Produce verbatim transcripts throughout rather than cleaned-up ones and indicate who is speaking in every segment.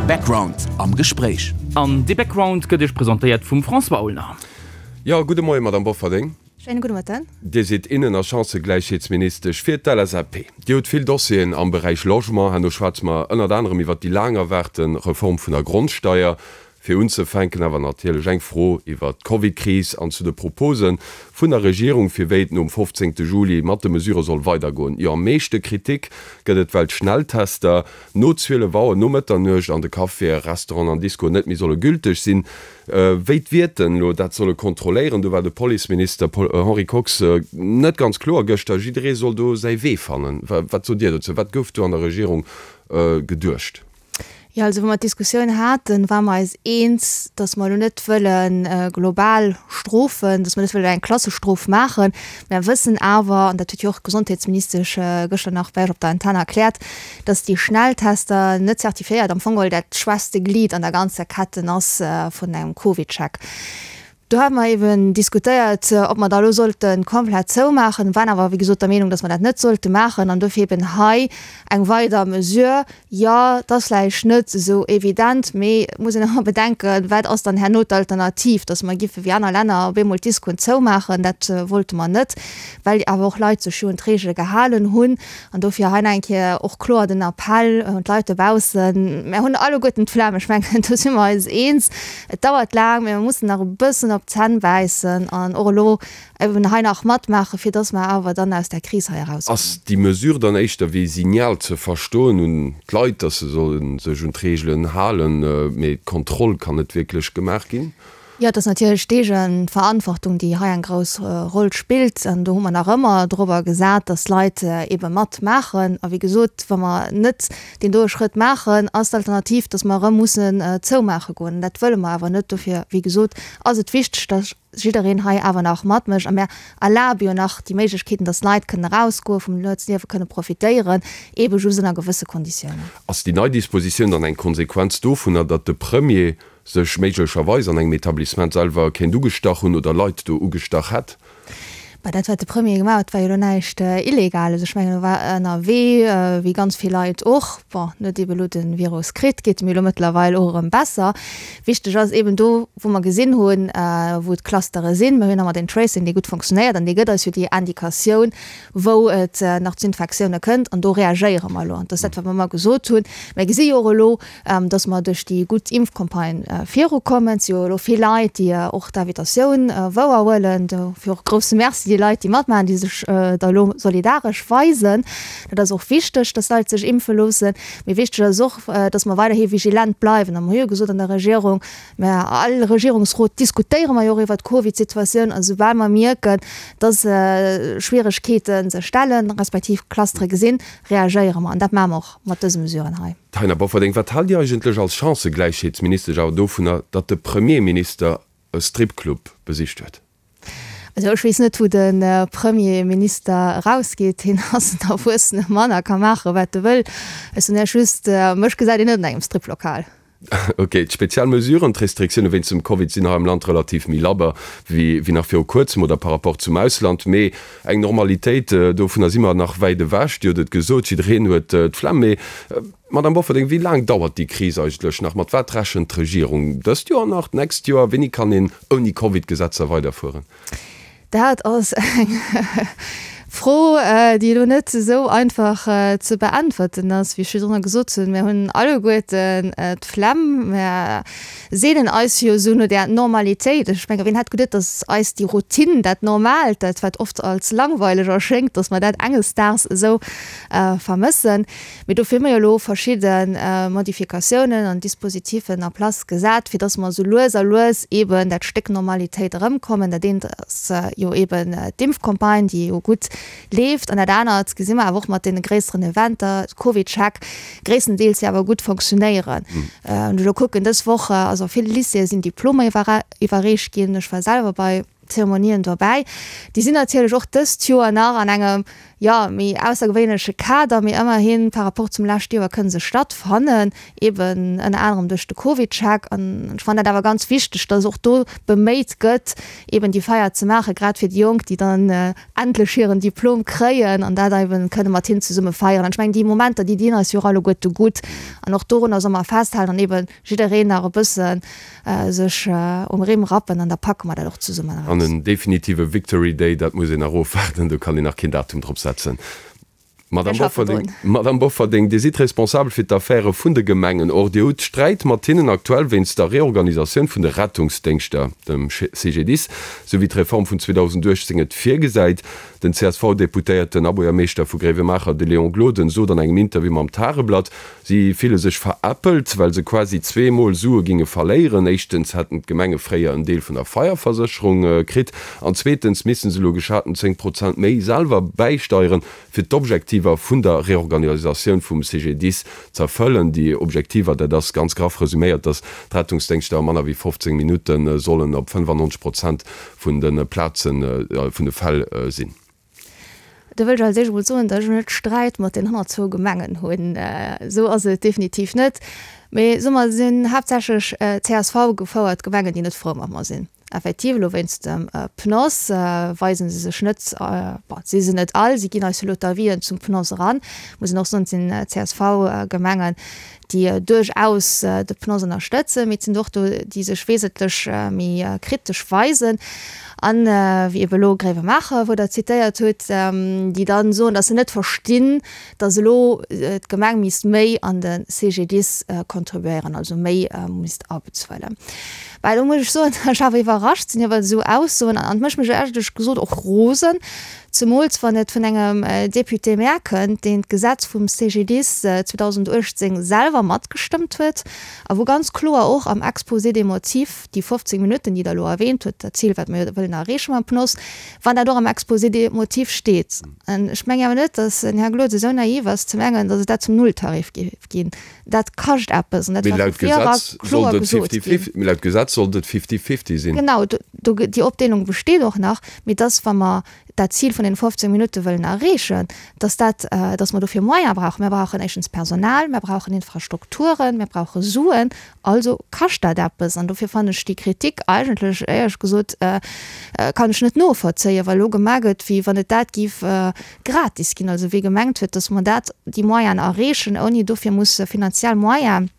Speaker 1: Background am Gespréich.
Speaker 2: An de Background gëtt Iech presentéiert vum François Aulner.
Speaker 3: Jo, gudde Moien, Madamm Bofferding.
Speaker 4: Schéine gudde Mëtten.
Speaker 3: Dir sidd Innen a Chancëgläichheetsministesch fir d'L S A P. Dir hutt vill Dossieren am Beräich Logement. Herno schwätze mer ënnert anerem iwwert déi laang erwaarte Reform vun der Grondsteier. Fir unzefänken awer natierlech eng Fro iwwert d'Covidkris an zu de Propose vun der Regierung, fir wéi et nom fofzéngte Juli mat de Mesure soll weidergoen. Jo, am meeschte Kritik gëtt et, well d'Schnelltester no zwielef Auer no Mëtternuecht an de Caféen, Restauranten an Discoen net méi solle gülteg sinn. Wéi d'Wierten elo dat solle kontrolléieren, do war de Policeminister Henri Kox net ganz kloer gëschter. Jidderee soll do säi Wee fannen. Wat sot Dir dozou? Wat gouf do an der Regierung geduecht?
Speaker 4: Jo, also wou mer d'Diskussioun haten, ware mer eis eens, dass mer elo net wëlle global strofen, dass mer net wëllen eng Klassestrof maachen. Mer wëssen awer, an dat huet jo och d'Gesondheetsministesch gëschter nach bei eis op der Antenn erkläert, dass déi Schnelltester net zertifiéiert am Fong geholl dat schwächste Glied an der ganzer Ketten ass vun engem CovidCheck. Do hate mer eben diskutéiert, ob mer da elo sollte komplett zoumaachen, waren awer wéi gesot der Meenung, dass mer dat net sollte maachen an dofir eben hei eng weider Mesure. Jo, et ass vläicht net esou evident, mee et muss een ëmmer bedenken, wat ass dann herno d'Alternativ, dass mer giffe wéi aner Länner op eemol d'Discoen zoumaachen. Dat wollte mer net, well awer och Leit sech jo un d'Reegele gehalen hunn. An dofir hei nach eng Kéier och kloer den Appell un d'Leit dobaussen, Mer hunn alleguerten d'Flemm, ech mengen, do si mer eis eens. Et dauert laang, mee mer mussen nach e bëssen op d'Zänn bäissen an och elo eben hei nach matmaachen, fir dass mer awer dann aus där Kris hei erauskommen.
Speaker 3: Ass déi Mesure dann éischter wéi Signal ze verstoen un d'Leit, dass se solle sech un d'Reegelen halen, mee d'Kontroll kann net wierklech gemaach ginn?
Speaker 4: Jo, et ass natierlech d'Eegeverantwortung, déi hei eng grouss Roll spillt. An do hu mer nach ëmmer dorobber gesat, dass d'Leit eebe matmaachen. A wéi gesot, wa mer net deen doe Schrëtt maachen, ass d'Alternativ, dass mer erëm mussen zoumaache goen. An dat wëlle mer awer net. Dofir, wéi gesot, ass et wichteg, dass jiddereen hei awer nach matmécht. A mir erlabe jo nach déi Méiglechkeeten, dass Leit kënnen erausgoen, vum Nuetsliewe kënne profitéieren, eebe just ënner gewësse Konditiounen.
Speaker 3: Ass déi nei Dispositioun dann eng Konsequenz dovunner, datt de Premier sech méiglecherweis an engem Etablissement selwer kéint ugestach hunn oder Leit do ugestach hätt?
Speaker 4: Bah, dat wat de Premier gemaach huet, war jo elo näischt Illegales. Ech mengen, e war ënnerwee, wéi ganz vill Leit och. Bon, en huet eebe elo de Virus kritt, geet em elo mëttlerweil och erëm besser. Wichteg ass eeben do, wou mer gesinn hunn, wou d'Clustere sinn, mir hunn ëmmer den Tracing, dee gutt funktionéiert an dee gëtt eis jo déi Indikatioun, wou et nach zu Infektioune kënnt an do reagéiere mer elo. An dat ass dat, wat mer ëmmer gesot hunn. Mir gesi jo och elo, dass mer duerch déi gutt Impfcampagne virukommen. Et si jo elo vill Leit, déi och d'Invitatioun wouerhuelen. Dofir och e grousse Merci déi Leit, déi matmaachen, déi sech da elo solidaresch weisen. Dat ass och wichteg, dass Leit sech impfe loossen. Mee wichteg ass och, dass mer weiderhi vigilent bleiwen. A mer hu jo gesot an der Regierung, Mä all Regierungsrot diskutéiere mer jo och iwwert d'Covid-Situatioun. A soubal mer mierken, dass Schwieregkeete sech stellen, respektiv Clustere gesinn, reagéiere mer. An dat maache mer och mat dëse Mesuren hei.
Speaker 3: Taina Bofferding, Wat haalt Dir eigentlech als Chancëgläichheetsministesch awer dovunner, datt de Premierminister e Stripclub besicht huet?
Speaker 4: Also ech weess net, wou de Premierminister erausgeet. Hien ass en erwuessene Mann a ka maache wat e wëll. Ech soen Iech just, mech gesäit een net an engem Striplokal.
Speaker 3: Ok, d'spezial Mesuren, d'Restriktioune wéinst dem Covid sinn hei am Land relativ méi labber wéi nach viru kuerzem oder par rapport zum Ausland. Mee eng Normalitéit, dovunner si mer nach wäit ewech. Dir hutt et gesot, jiddereen huet d'Flemm. Mee, Madamm Bofferding, wéi laang dauert déi Kris eigentlech nach? Mat wat rechent d'Regierung dëst Joer nach, d'nächst Joer? Wéini kann een ouni Covid-Gesetzer weiderfueren?
Speaker 4: Dat ass eng Fro, déi elo net esou einfach ze beäntwerten ass. Wéi ech virdrunner gesot hunn, mir hunn alleguerten d'Flemm. Mir seenen eis jo esou no där Normalitéit. Ech menge wien hätt geduet, datt eis déi Routine, dat Normaalt, dat wat oft als langweileg erschéngt, datt mer dat enges Daags esou vermëssen. Mee dofir hu mer jo elo verschidde Modifikatiounen an Dispositifen en place gesat, fir datt mer esou lues a lues eeben dat Stéck Normalitéit erëmkommen. Dat eent ass jo eeben d'Impfcampagne, déi jo gutt leeft, an dat anert gesi mer awer och mat deene gréisseren Eventer, CovidCheck, gréisstendeels jo awer gutt fonctionnéieren. Wann ech elo kucken, dës Woch ass a ville Lycéeë sinn Diplomer iwwerreecht ginn. Ech war selwer bei Zeremonien dobäi. Déi sinn natierlech och dëst Joer nach an engem jo, méi aussergewéinleche Kader, mee ëmmerhin par rapport zum leschte Joer kënne se stattfannen, eben ënner anerem duerch de CovidCheck. An ech fannen dat awer ganz wichteg, dass och do beméit gëtt, eben déi Feier ze maachen, grad fir déi Jonk, déi dann endlech hiren Diplom kréien an dat eben kënne mat hinnen zesumme feieren. An ech mengen, déi Momenter, déi dinn eis jo och alleguerte gutt. An och dorunner solle mer festhalen an eben jiddereen nach e bësse sech um Rimm rappen an da packe mer dat och zesummen
Speaker 3: eraus. An en definitive Victory Day, dat muss een nach ofwaarden, do kann een nach keen Datum drop setzen. Madame Bofferding, Madame Bofferding, Dir sidd responsabel fir d'Affäre vun de Gemengen. Or, Dir hutt Sträit mat hinnen aktuell wéinst der Reorganisatioun vun de Rettungsdéngschter, dem C G D I S, sou wéi d'Reform vun zweedausendachtzéng et virgesäit. Den C S V-Deputéierten a Buergermeeschter vu Gréiwemaacher, de Léon Gloden, sot an engem Interview mam Tageblatt, si fille sech veräppelt, well se quasi zwee Mol Sue ginge verléieren. Éischtens hätten d'Gemenge fréier en Deel vun der Feierversécherung kritt an zweetens misste se elo geschaten zéng Prozent méi selwer bäisteieren, fir d'Objektiver vun der Reorganisatioun vum C G D I S z'erfëllen. Déi Objektiver, dat ass ganz graff resuméiert, datt d'Rettungsdéngschter a manner wéi fofzéng Minutte sollen op fënnefannonzeg Prozent vun de Plazen, vun de Fäll sinn.
Speaker 4: Do wëll ech als éischt emol soen, datt ech net Sträit mat den honnertzwou Gemengen hunn. Esou ass et definitiv net. Mee soe mer, et sinn haaptsächlech C S V gefouert Gemengen, déi net frou mat mer sinn. Effektiv, elo wéinst dem P N O S weise se sech net, bon, si se net all, si ginn eis elo d'Avisen zum P N O S eran, muss een och soen, et sinn C S V-Gemengen, déi duerchaus de P N O S ënnerstëtzen, mee et sinn och do, déi sech wesentlech méi kritesch weisen an, wéi ebe elo Gréiwemaacher, wou Der zitéiert hutt, déi dann soen, datt se net verstinn, datt elo d'Gemeng misst méi an de C G D I S contribuéieren, also méi misst abezuelen. Well do muss ech soen, datt ech awer iwwerrascht sinn iwwer esou Aussoen an et mécht mech éierlech gesot och rosen, zemools wann et vun engem Député-maire kënnt, deen d'Gesetz vum C G D I S zweedausendachtzéng selwer matgestëmmt huet a wou ganz kloer och am Exposé des motifs déi fofzéng Minutten, déi Der elo erwähnt hutt, dat Zil, wat mir wëllen erreeche mam P N O S, wann dat och am Exposé des motifs steet. An ech mengen awer net, datt den Här Gloden esou naiv ass ze mengen, datt et dat zum Nulltarif géif ginn. Dat kascht eppes an dat
Speaker 3: Mee
Speaker 4: war
Speaker 3: laut
Speaker 4: vu vir era
Speaker 3: Gesetz
Speaker 4: kloer
Speaker 3: sollt et
Speaker 4: gesot
Speaker 3: fifty
Speaker 4: ginn.
Speaker 3: fifty, mee laut Gesetz sollt et fifty fifty sinn.
Speaker 4: Genau, do, do, déi Opdeelung besteet och nach, mee dass, wa mer dat Zil vun den fofzéng Minutte wëllen erreechen, dass dat, dass mer dofir Moyene brauchen. Mir brauchen éischtens Personal, mir brauchen Infrastrukturen, mir brauche Suen, also kascht dat eppes. An dofir fannen ech déi Kritik eigentlech, éierlech gesot, kann ech net novollzéien, well elo gemaach gëtt, wéi wann et dat géif gratis ginn, also wéi gemengt huet, dass mer dat, déi Moyenen erreechen, ouni dofir musse finanziell Moyenen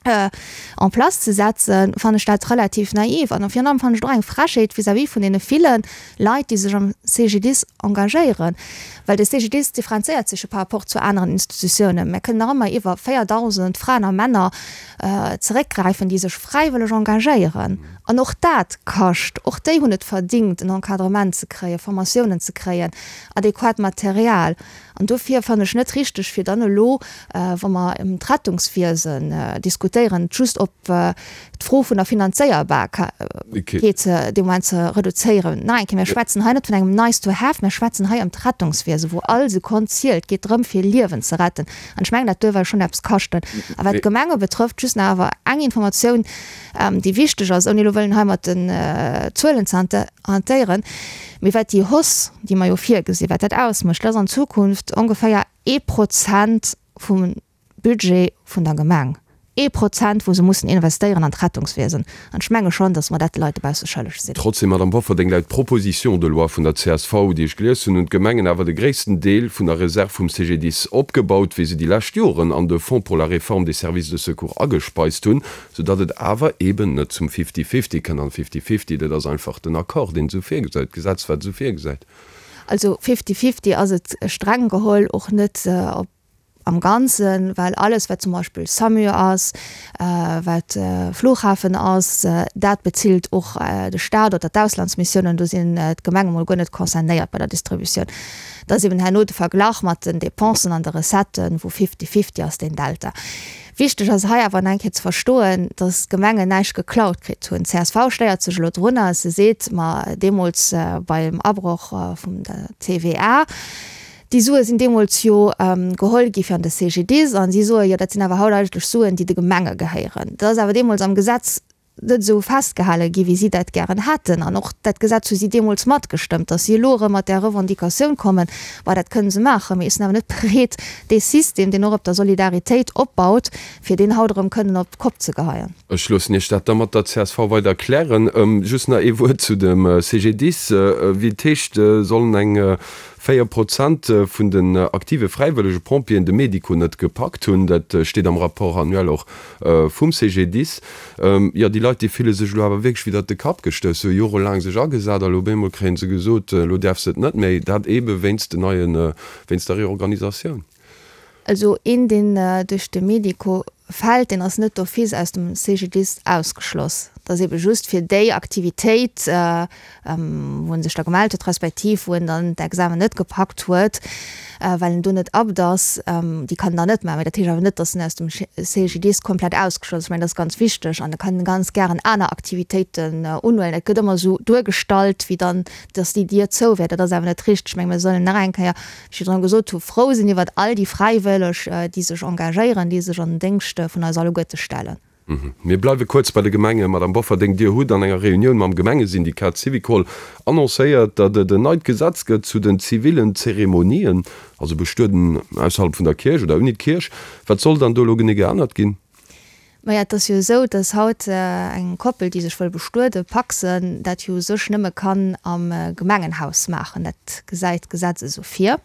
Speaker 4: en place ze setzen, fannen ech dat relativ naiv. An virun allem fannen ech et och eng Frechheet vis-à-vis vun deene ville Leit, déi sech am C G D I S engagéieren. Well de C G D I S differenzéiert sech jo par rapport zu aneren Institutiounen. Mir kënnen nach ëmmer iwwer véierdausend Fraen a Männer zeréckgräifen, déi sech fräiwëlleg engagéieren. An och dat kascht. Och déi hunn et verdingt, en Encadrement ze kréien, Formatiounen ze kréien, adequat Material. An dofir fannen ech net richteg, fir dann elo, wa mer ëm d'Rettungswiesen diskutéieren, just op d'Fro vun der Finanzéierbarkeet dee Moment ze reduzéieren. Nach eng Kéier, mir schwätzen hei net vun engem nice to have, mir schwätzen hei ëm d'Rettungswiesen, wou all Sekonn zielt. Et geet drëm, fir Liewen ze retten. An ech mengen, dat duerf eis schonn eppes kaschten. A wat d'Gemenge betrëfft, just nach awer eng Informatioun, déi wichteg ass, ouni elo wëllen hei mat den Zuelen ze hantéieren, mee wat déi Hausse, déi mer jo virgesinn, wat dat ausmécht, dat ass an Zukunft ongeféier ee Prozent vum Budget vun der Gemeng. Ee Prozent, wou se mussen investéieren an d'Rettungswiesen. An ech menge schonn, datt mer dat de Leit dobausse schëlleg sinn.
Speaker 3: Trotzdem, Madame Bofferding, laut Proposition de loi vun der C S V, déi ech gelies hunn, hunn d'Gemengen awer de gréissten Deel vun der Reserv vum C G D I S opgebaut, wéi se déi lescht Joren an de Fonds pour la réforme des services de secours agespeist hunn, soudatt et awer eeben net zum Fifty-Fifty kënnt. An Fifty-Fifty, dat ass einfach den Accord, deen esou virgesäit, d'Gesetz, wat esou virgesäit.
Speaker 4: Also Fifty-Fifty ass et streng geholl och net op am Ganzen, well alles wat zum Beispill SAMU ass, wat Flughafen ass, dat bezilt och de Staat oder d'Auslandsmissiounen, do sinn d'Gemenge mol guer net concernéiert bei der Distributioun. Dat ass eben herno de Verglach mat den Dépensen an de Recetten, wou fifty-fifty ass deen Delta. Wichteg ass hei awer nach eng Kéier ze verstoen, datt d'Gemengen näischt geklaut kritt hunn. D C S V stéiert sech elo drunner, se seet, ma deemools beim Abroch vum der T V A, déi Sue sinn deemools jo geholl gi fir an de C G D I S an si soe jo, dat sinn awer haut eigentlech Suen, déi de Gemenge gehéieren. Dat ass awer deemools am Gesetz net esou festgehale gi wéi si dat gären hätten. An och dat Gesetz hu si deemools matgestëmmt. Datt si elo erëm mat där Revendicatioun kommen, bah, dat kënne se maachen, mee ech sinn awer net bereet, dee System, deen och op der Solidaritéit opbaut, fir deen haut erëm kënnen op d'Kopp ze geheien.
Speaker 3: Ech loossen Iech dat da mat der C S V weider klären. Just nach ee Wuert zu dem C G D I S. Wéi et heescht, sollen eng véier Prozent vun den aktive fräiwëllege Pompjeeën de Medico net gepackt hunn. Dat steet am Rapport annuel och vum C G D I S. Jo, déi Leit, déi fille sech elo awer wierklech widder de Kapp gestouss. Se hu jorelaang sech agesat a lo op eemol kréie se gesot, elo däerf se et net méi. Dat eebe wéinst den neien, wéinst der Reorganisatioun.
Speaker 4: Also een, deen duerch de Medico fält, deen ass net d'office aus dem C G D I S ausgeschloss. Dat ass ebe just fir déi Aktivitéit, wou en sech da gemellt huet, respektiv wou en dann d'Examen net gepackt huet, well en do net apte ass, déi kann en dann net maachen. Mä dat heescht awer net, datt en aus dem C G D I S komplett ausgeschloss ass. Ech mengen, dat ass ganz wichteg. An e kann ganz gären aner Aktivitéiten unhuelen. Et gëtt ëmmer esou duergestallt, wéi dann, datt déi Dier zou wär. Dat ass awer net richteg. Ech menge mir sollen nach eng Kéier, wéi ech virdrun gesot hu, frou sinn iwwert all déi Fräiwëlleg, déi sech engagéieren, déi sech an den Déngscht vun eis alleguerte stellen.
Speaker 3: Mir bleiwe kuerz bei de Gemengen. Madame Bofferding, Dir hutt an enger Reunioun mam Gemengesyndikat Syvicol annoncéiert, datt et en neit Gesetz gëtt zu den zivillen Zeremonien, also Bestueden ausserhalb vun der Kierch oder ouni d'Kierch. Wat soll dann do elo genee geännert ginn?
Speaker 4: Maja, et ass jo esou, datt haut eng Koppel, déi sech wëll bestueden, pacsen, dat jo u sech nëmme kann am Gemengenhaus maachen. Dat gesäit d'Gesetz esou vir.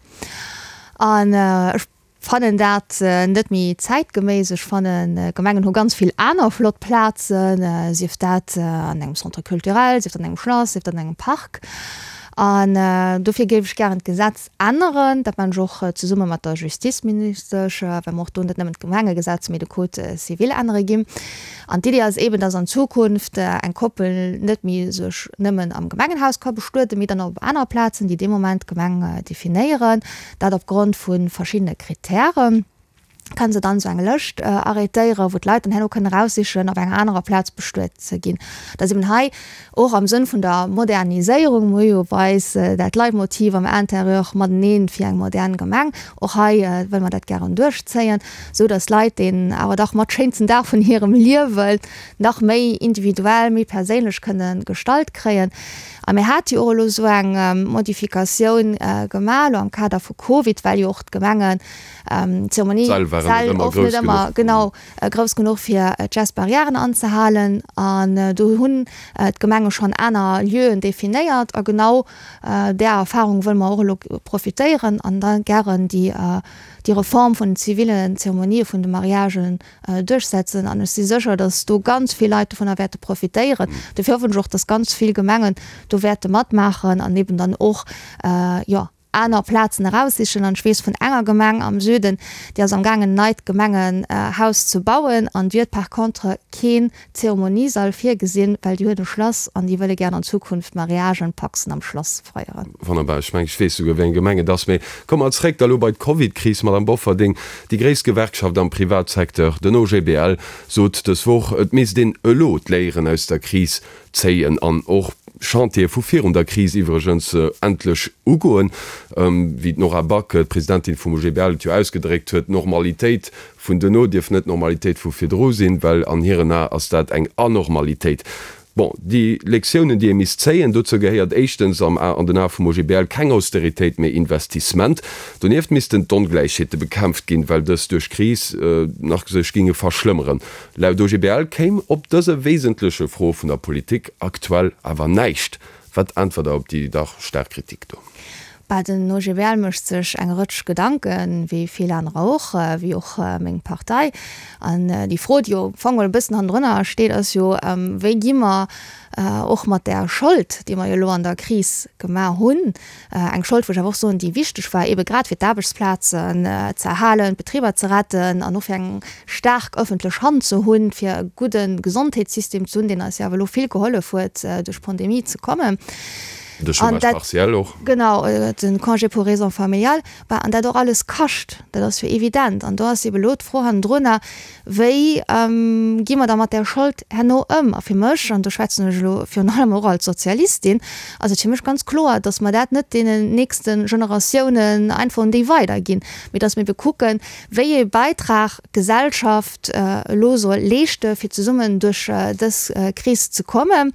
Speaker 4: An ech fannen dat net méi zäitgeméiss. Ech fannen, Gemengen hu ganz vill aner flott Plazen, sief dat an engem Centre culturel, sief dat an engem Schlass, sief dat an engem Park. An dofir géif ech gären d'Gesetz änneren. Dat maachen ech och zesumme mat der Justizministesch, well mer och do net nëmmen d'Gemengegesetz, mee de Code civil ännere ginn. An d'Iddi ass eeben, dass an Zukunft eng Koppel net méi sech nëmmen am Gemengenhaus ka bestueden, mee dann och op aner Plazen, déi dee Moment d'Gemeng definéieren, dat opgrond vu verschiddene Kritären. Kann se dann esou eng Lëscht arrêtéieren, wou d'Leit dann herno kënnen eraussichen, op enger anerer Plaz bestuet ze ginn. Dat ass eben hei och am Sënn vun der Moderniséierung, mir hu jo bei eis dat Leitmotiv am Intérieur mateneen fir eng modern Gemeng, och hei wëlle mer dat gären duerchzéien, esou datt d'Leit deen awer dach mat schéinsten Dag vun hirem Liewen nach méi individuell, méi perséinlech kënne gestalt kréien. A mir hate jo och elo esou eng Modifikatioun gemaach elo am Kader vu Covid, well jo och d'Gemengen Zeremonie
Speaker 3: D'Säll waren net
Speaker 4: Säll
Speaker 3: ëmmer
Speaker 4: oft net
Speaker 3: grouss
Speaker 4: ëmmer
Speaker 3: genuch.
Speaker 4: genau grouss genuch fir d'Gestes barrièren anzehalen. An do hunn d'Gemenge schonn aner Lieuen definéiert a genau där Erfahrung wëlle mer och elo profitéieren an da gären déi déi Reform vun den zivilen Zeremonië vun de Mariagen duerchsetzen. An ech si sécher, datt do ganz vill Leit dovunner wäerte profitéieren. Dofir hoffen ech och, datt ganz vill Gemengen do wäerte matmaachen an eben dann och, jo, aner Plazen eraussichen. An ech weess vun enger Gemeng am Süden, déi ass amgaangen en neit Gemengenhaus ze bauen an déi huet par contre keen Zeremoniesall virgesinn, well déi huet e Schlass an déi wëlle gären an Zukunft Mariagen, Pacsen am Schlass feieren.
Speaker 3: Wonnerbar. Ech mengen, ech weess souguer, wéi eng Gemeng et ass. Mee komme mer zréck da lo bei d'Covidkris, Madame Bofferding. Déi gréisst Gewerkschaft am Privatsecteur, den O G B L, sot dës Woch, et misst een elo d'Léieren aus der Kris zéien an och Chantiere vu virun der Kris iwwregens endlech ugoen. Wéi d'Nora Back, d'Presidentin vum O G B L, et jo ausgedréckt huet, D'Normalitéit vun duerno dierf net d'Normalitéit vu virdru sinn, well an hiren Ae ass dat eng Anormalitéit. Bon, déi Lektiounen, déi ee misst zéien, dozou gehéiert éischtens am an den Ae vum O G B L keng Austeritéit, mee Investissement. Donieft missten d'Ongläichheete bekämpft ginn, well dës duerch d'Kris nach sech géinge verschlëmmeren. Laut O G B L kéim op dëse wesentleche Froe vun der Politik aktuell awer näischt. Wat äntwert Der op déi dach staark Kritik do?
Speaker 4: Bah, den O G B L mécht sech eng Rëtsch Gedanken, wéi vill anerer och, wéi och meng Partei. An déi Fro, déi jo am Fong e bëssen hannendrunner steet, ass jo, wéi gi mer och mat där Schold, déi mer jo elo an der Kris gemaach hunn, eng Schold, wou ech awer och soen, déi wichteg war, eebe grad fir d'Aarbechtsplazen ze erhalen, d'Betriber ze retten an och fir eng staark ëffentlech Hand ze hunn, fir e gudde Gesondheetssystem ze hunn, deen eis jo awer elo vill gehollef huet, duerch d'Pandemie ze kommen.
Speaker 3: De Chômage partiel och.
Speaker 4: Genau, den Congé pour raisons familiales, bah, an dat och alles kascht, dat ass jo evident. An do ass ebe lo d'Fro hannendrunner, wéi gi mer da mat där Schold herno ëm? A fir mech, an do schwätzen ech elo virun allem och als Sozialistin, ass et fir mech ganz kloer, datt mer dat net deenen nächste Generatiounen einfach un déi weiderginn, mee datt mir ebe kucken, wéi ee Beitrag d'Gesellschaft elo soll leeschte fir zesummen duerch dës Kris ze kommen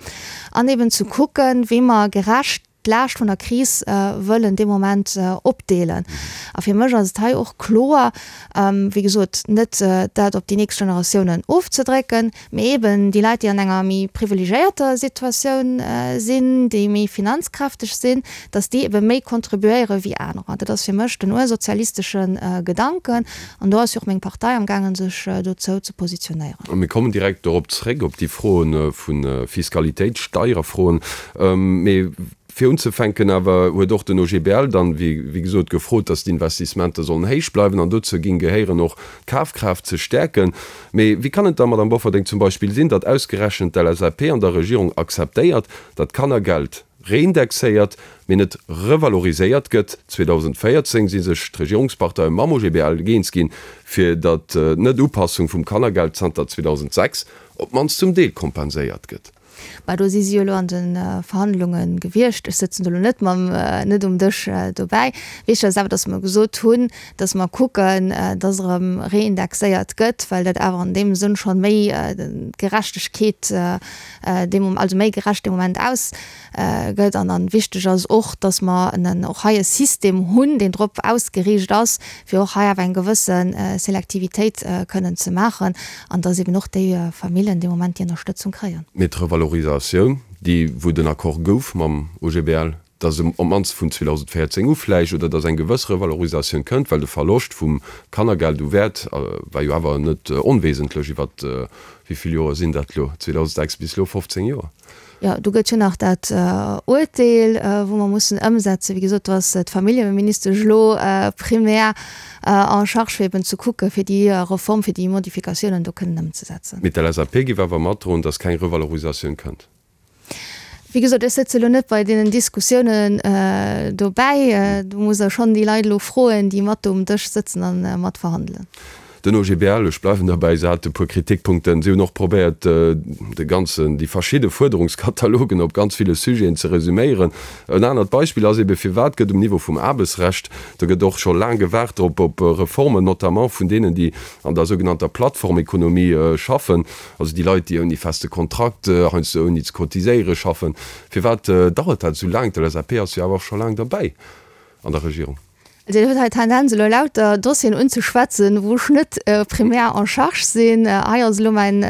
Speaker 4: an eben ze kucken, wéi mer gerecht d'Laascht vun der Kris wëllen dee Moment opdeelen. A fir mech ass et hei och kloer, wéi gesot, net dat op déi nächst Generatiounen ofzedrécken, mee eben déi Leit, déi an enger méi privilegéierter Situatioun sinn, déi méi finanzkräfteg sinn, datt déi ebe méi contribuéiere wéi anerer. Dat ass fir mech den ursozialistesche Gedanken an do ass jo och meng Partei amgaangen, sech dozou ze positionéieren.
Speaker 3: A mir kommen direkt dorop zréck, op déi Froen vu Fiskalitéit, Steierfroen. Mee fir unzefänken awer huet och den O G B L dann, wéi gesot, gefrot, datt d'Investissementer sollen héich bleiwen an dozou géing gehéieren och d'Kafkraaft ze stäerken. Mee wéi kann et da, Madamm Bofferding, zum Beispill sinn, datt ausgerechent d'L S A P an der Regierung akzeptéiert, datt d'Kannergeld reindexéiert, mee net revaloriséiert gëtt? zweedausendvéierzéng si sech d'Regierungsparteie mam O G B L eens ginn, fir datt d'Net-Upassung vum Kannergeld zanter zweedausendsechs op d'mannst zum Deel kompenséiert gëtt.
Speaker 4: Bah, do si si jo elo an de Verhandlunge gewiescht. Ech sëtzen do elo net mam, net um Dësch dobäi. Wichteg ass awer, datt mer gesot hunn, datt mer kucken, datt erëm reindexéiert gëtt, well dat awer an deem Sënn schonn méi Gerechtegkeet dee Mom-, also méi gerecht dee Moment aus gëtt. An dann wichteg ass och, datt mer en och hei e System hunn, deen drop ausgeriicht ass, fir och hei awer eng gewësse Selektivitéit kënnen ze maachen an datt eben och déi Familljen dee Moment déi Ënnerstëtzung kréien.
Speaker 3: Mee d'Revalorisatioun, déi wou den Accord gouf mam O G B L, datt se op d'mannst vun zweedausendvéierzéng u vläicht, oder datt eng gewëss Revalorisatioun kënnt, well de Verloscht vum Kannergeld u Wäert war jo awer net onwesentlech iwwert, wéi vill Joer sinn dat elo, zweedausendsechs bis elo, fofzéng Joer.
Speaker 4: Jo, do gëtt jo nach dat Urteel, wou mer mussen ëmsetzen. Wéi gesot, do ass d'Familljeministesch elo primär en charge, fir eben ze kucken, fir déi Reform, fir déi Modifikatiounen do kënnen ëmzesetzen.
Speaker 3: Mee d'L S A P géif awer matdroen, datt keng Revalorisatioun kënnt.
Speaker 4: Wéi gesot, ech sëtze elo net bei deenen Diskussiounen dobäi. Do musst Der schonn déi Leit elo froen, déi mat do um Dësch sëtzen a mat verhandelen.
Speaker 3: Den O G B L, ech bleiwen derbäi, se hat e puer Kritikpunkten. Si hunn och probéiert, de ganzen, déi verschidde Fuerderungskatalogen op ganz ville Sujeten ze resüméieren. En anert Beispill ass ebe, Firwat gëtt um Niveau vum Aarbechtsrecht, do gëtt och scho laang gewaart drop, op Reformen, notamment vun deenen, déi an der sougenannter Plattformekonomie schaffen, also déi Leit, déi ouni feste Kontrakt, heiansdo ouni ze cotiséiere schaffen, firwat dauert dat esou laang? D'L S A P ass jo awer och scho laang derbäi an der Regierung.
Speaker 4: Also Dir hutt hei d'Tendenz elo lauter Dossieren unzeschwätzen, wou ech net primär en charge sinn. Hei ass elo mäin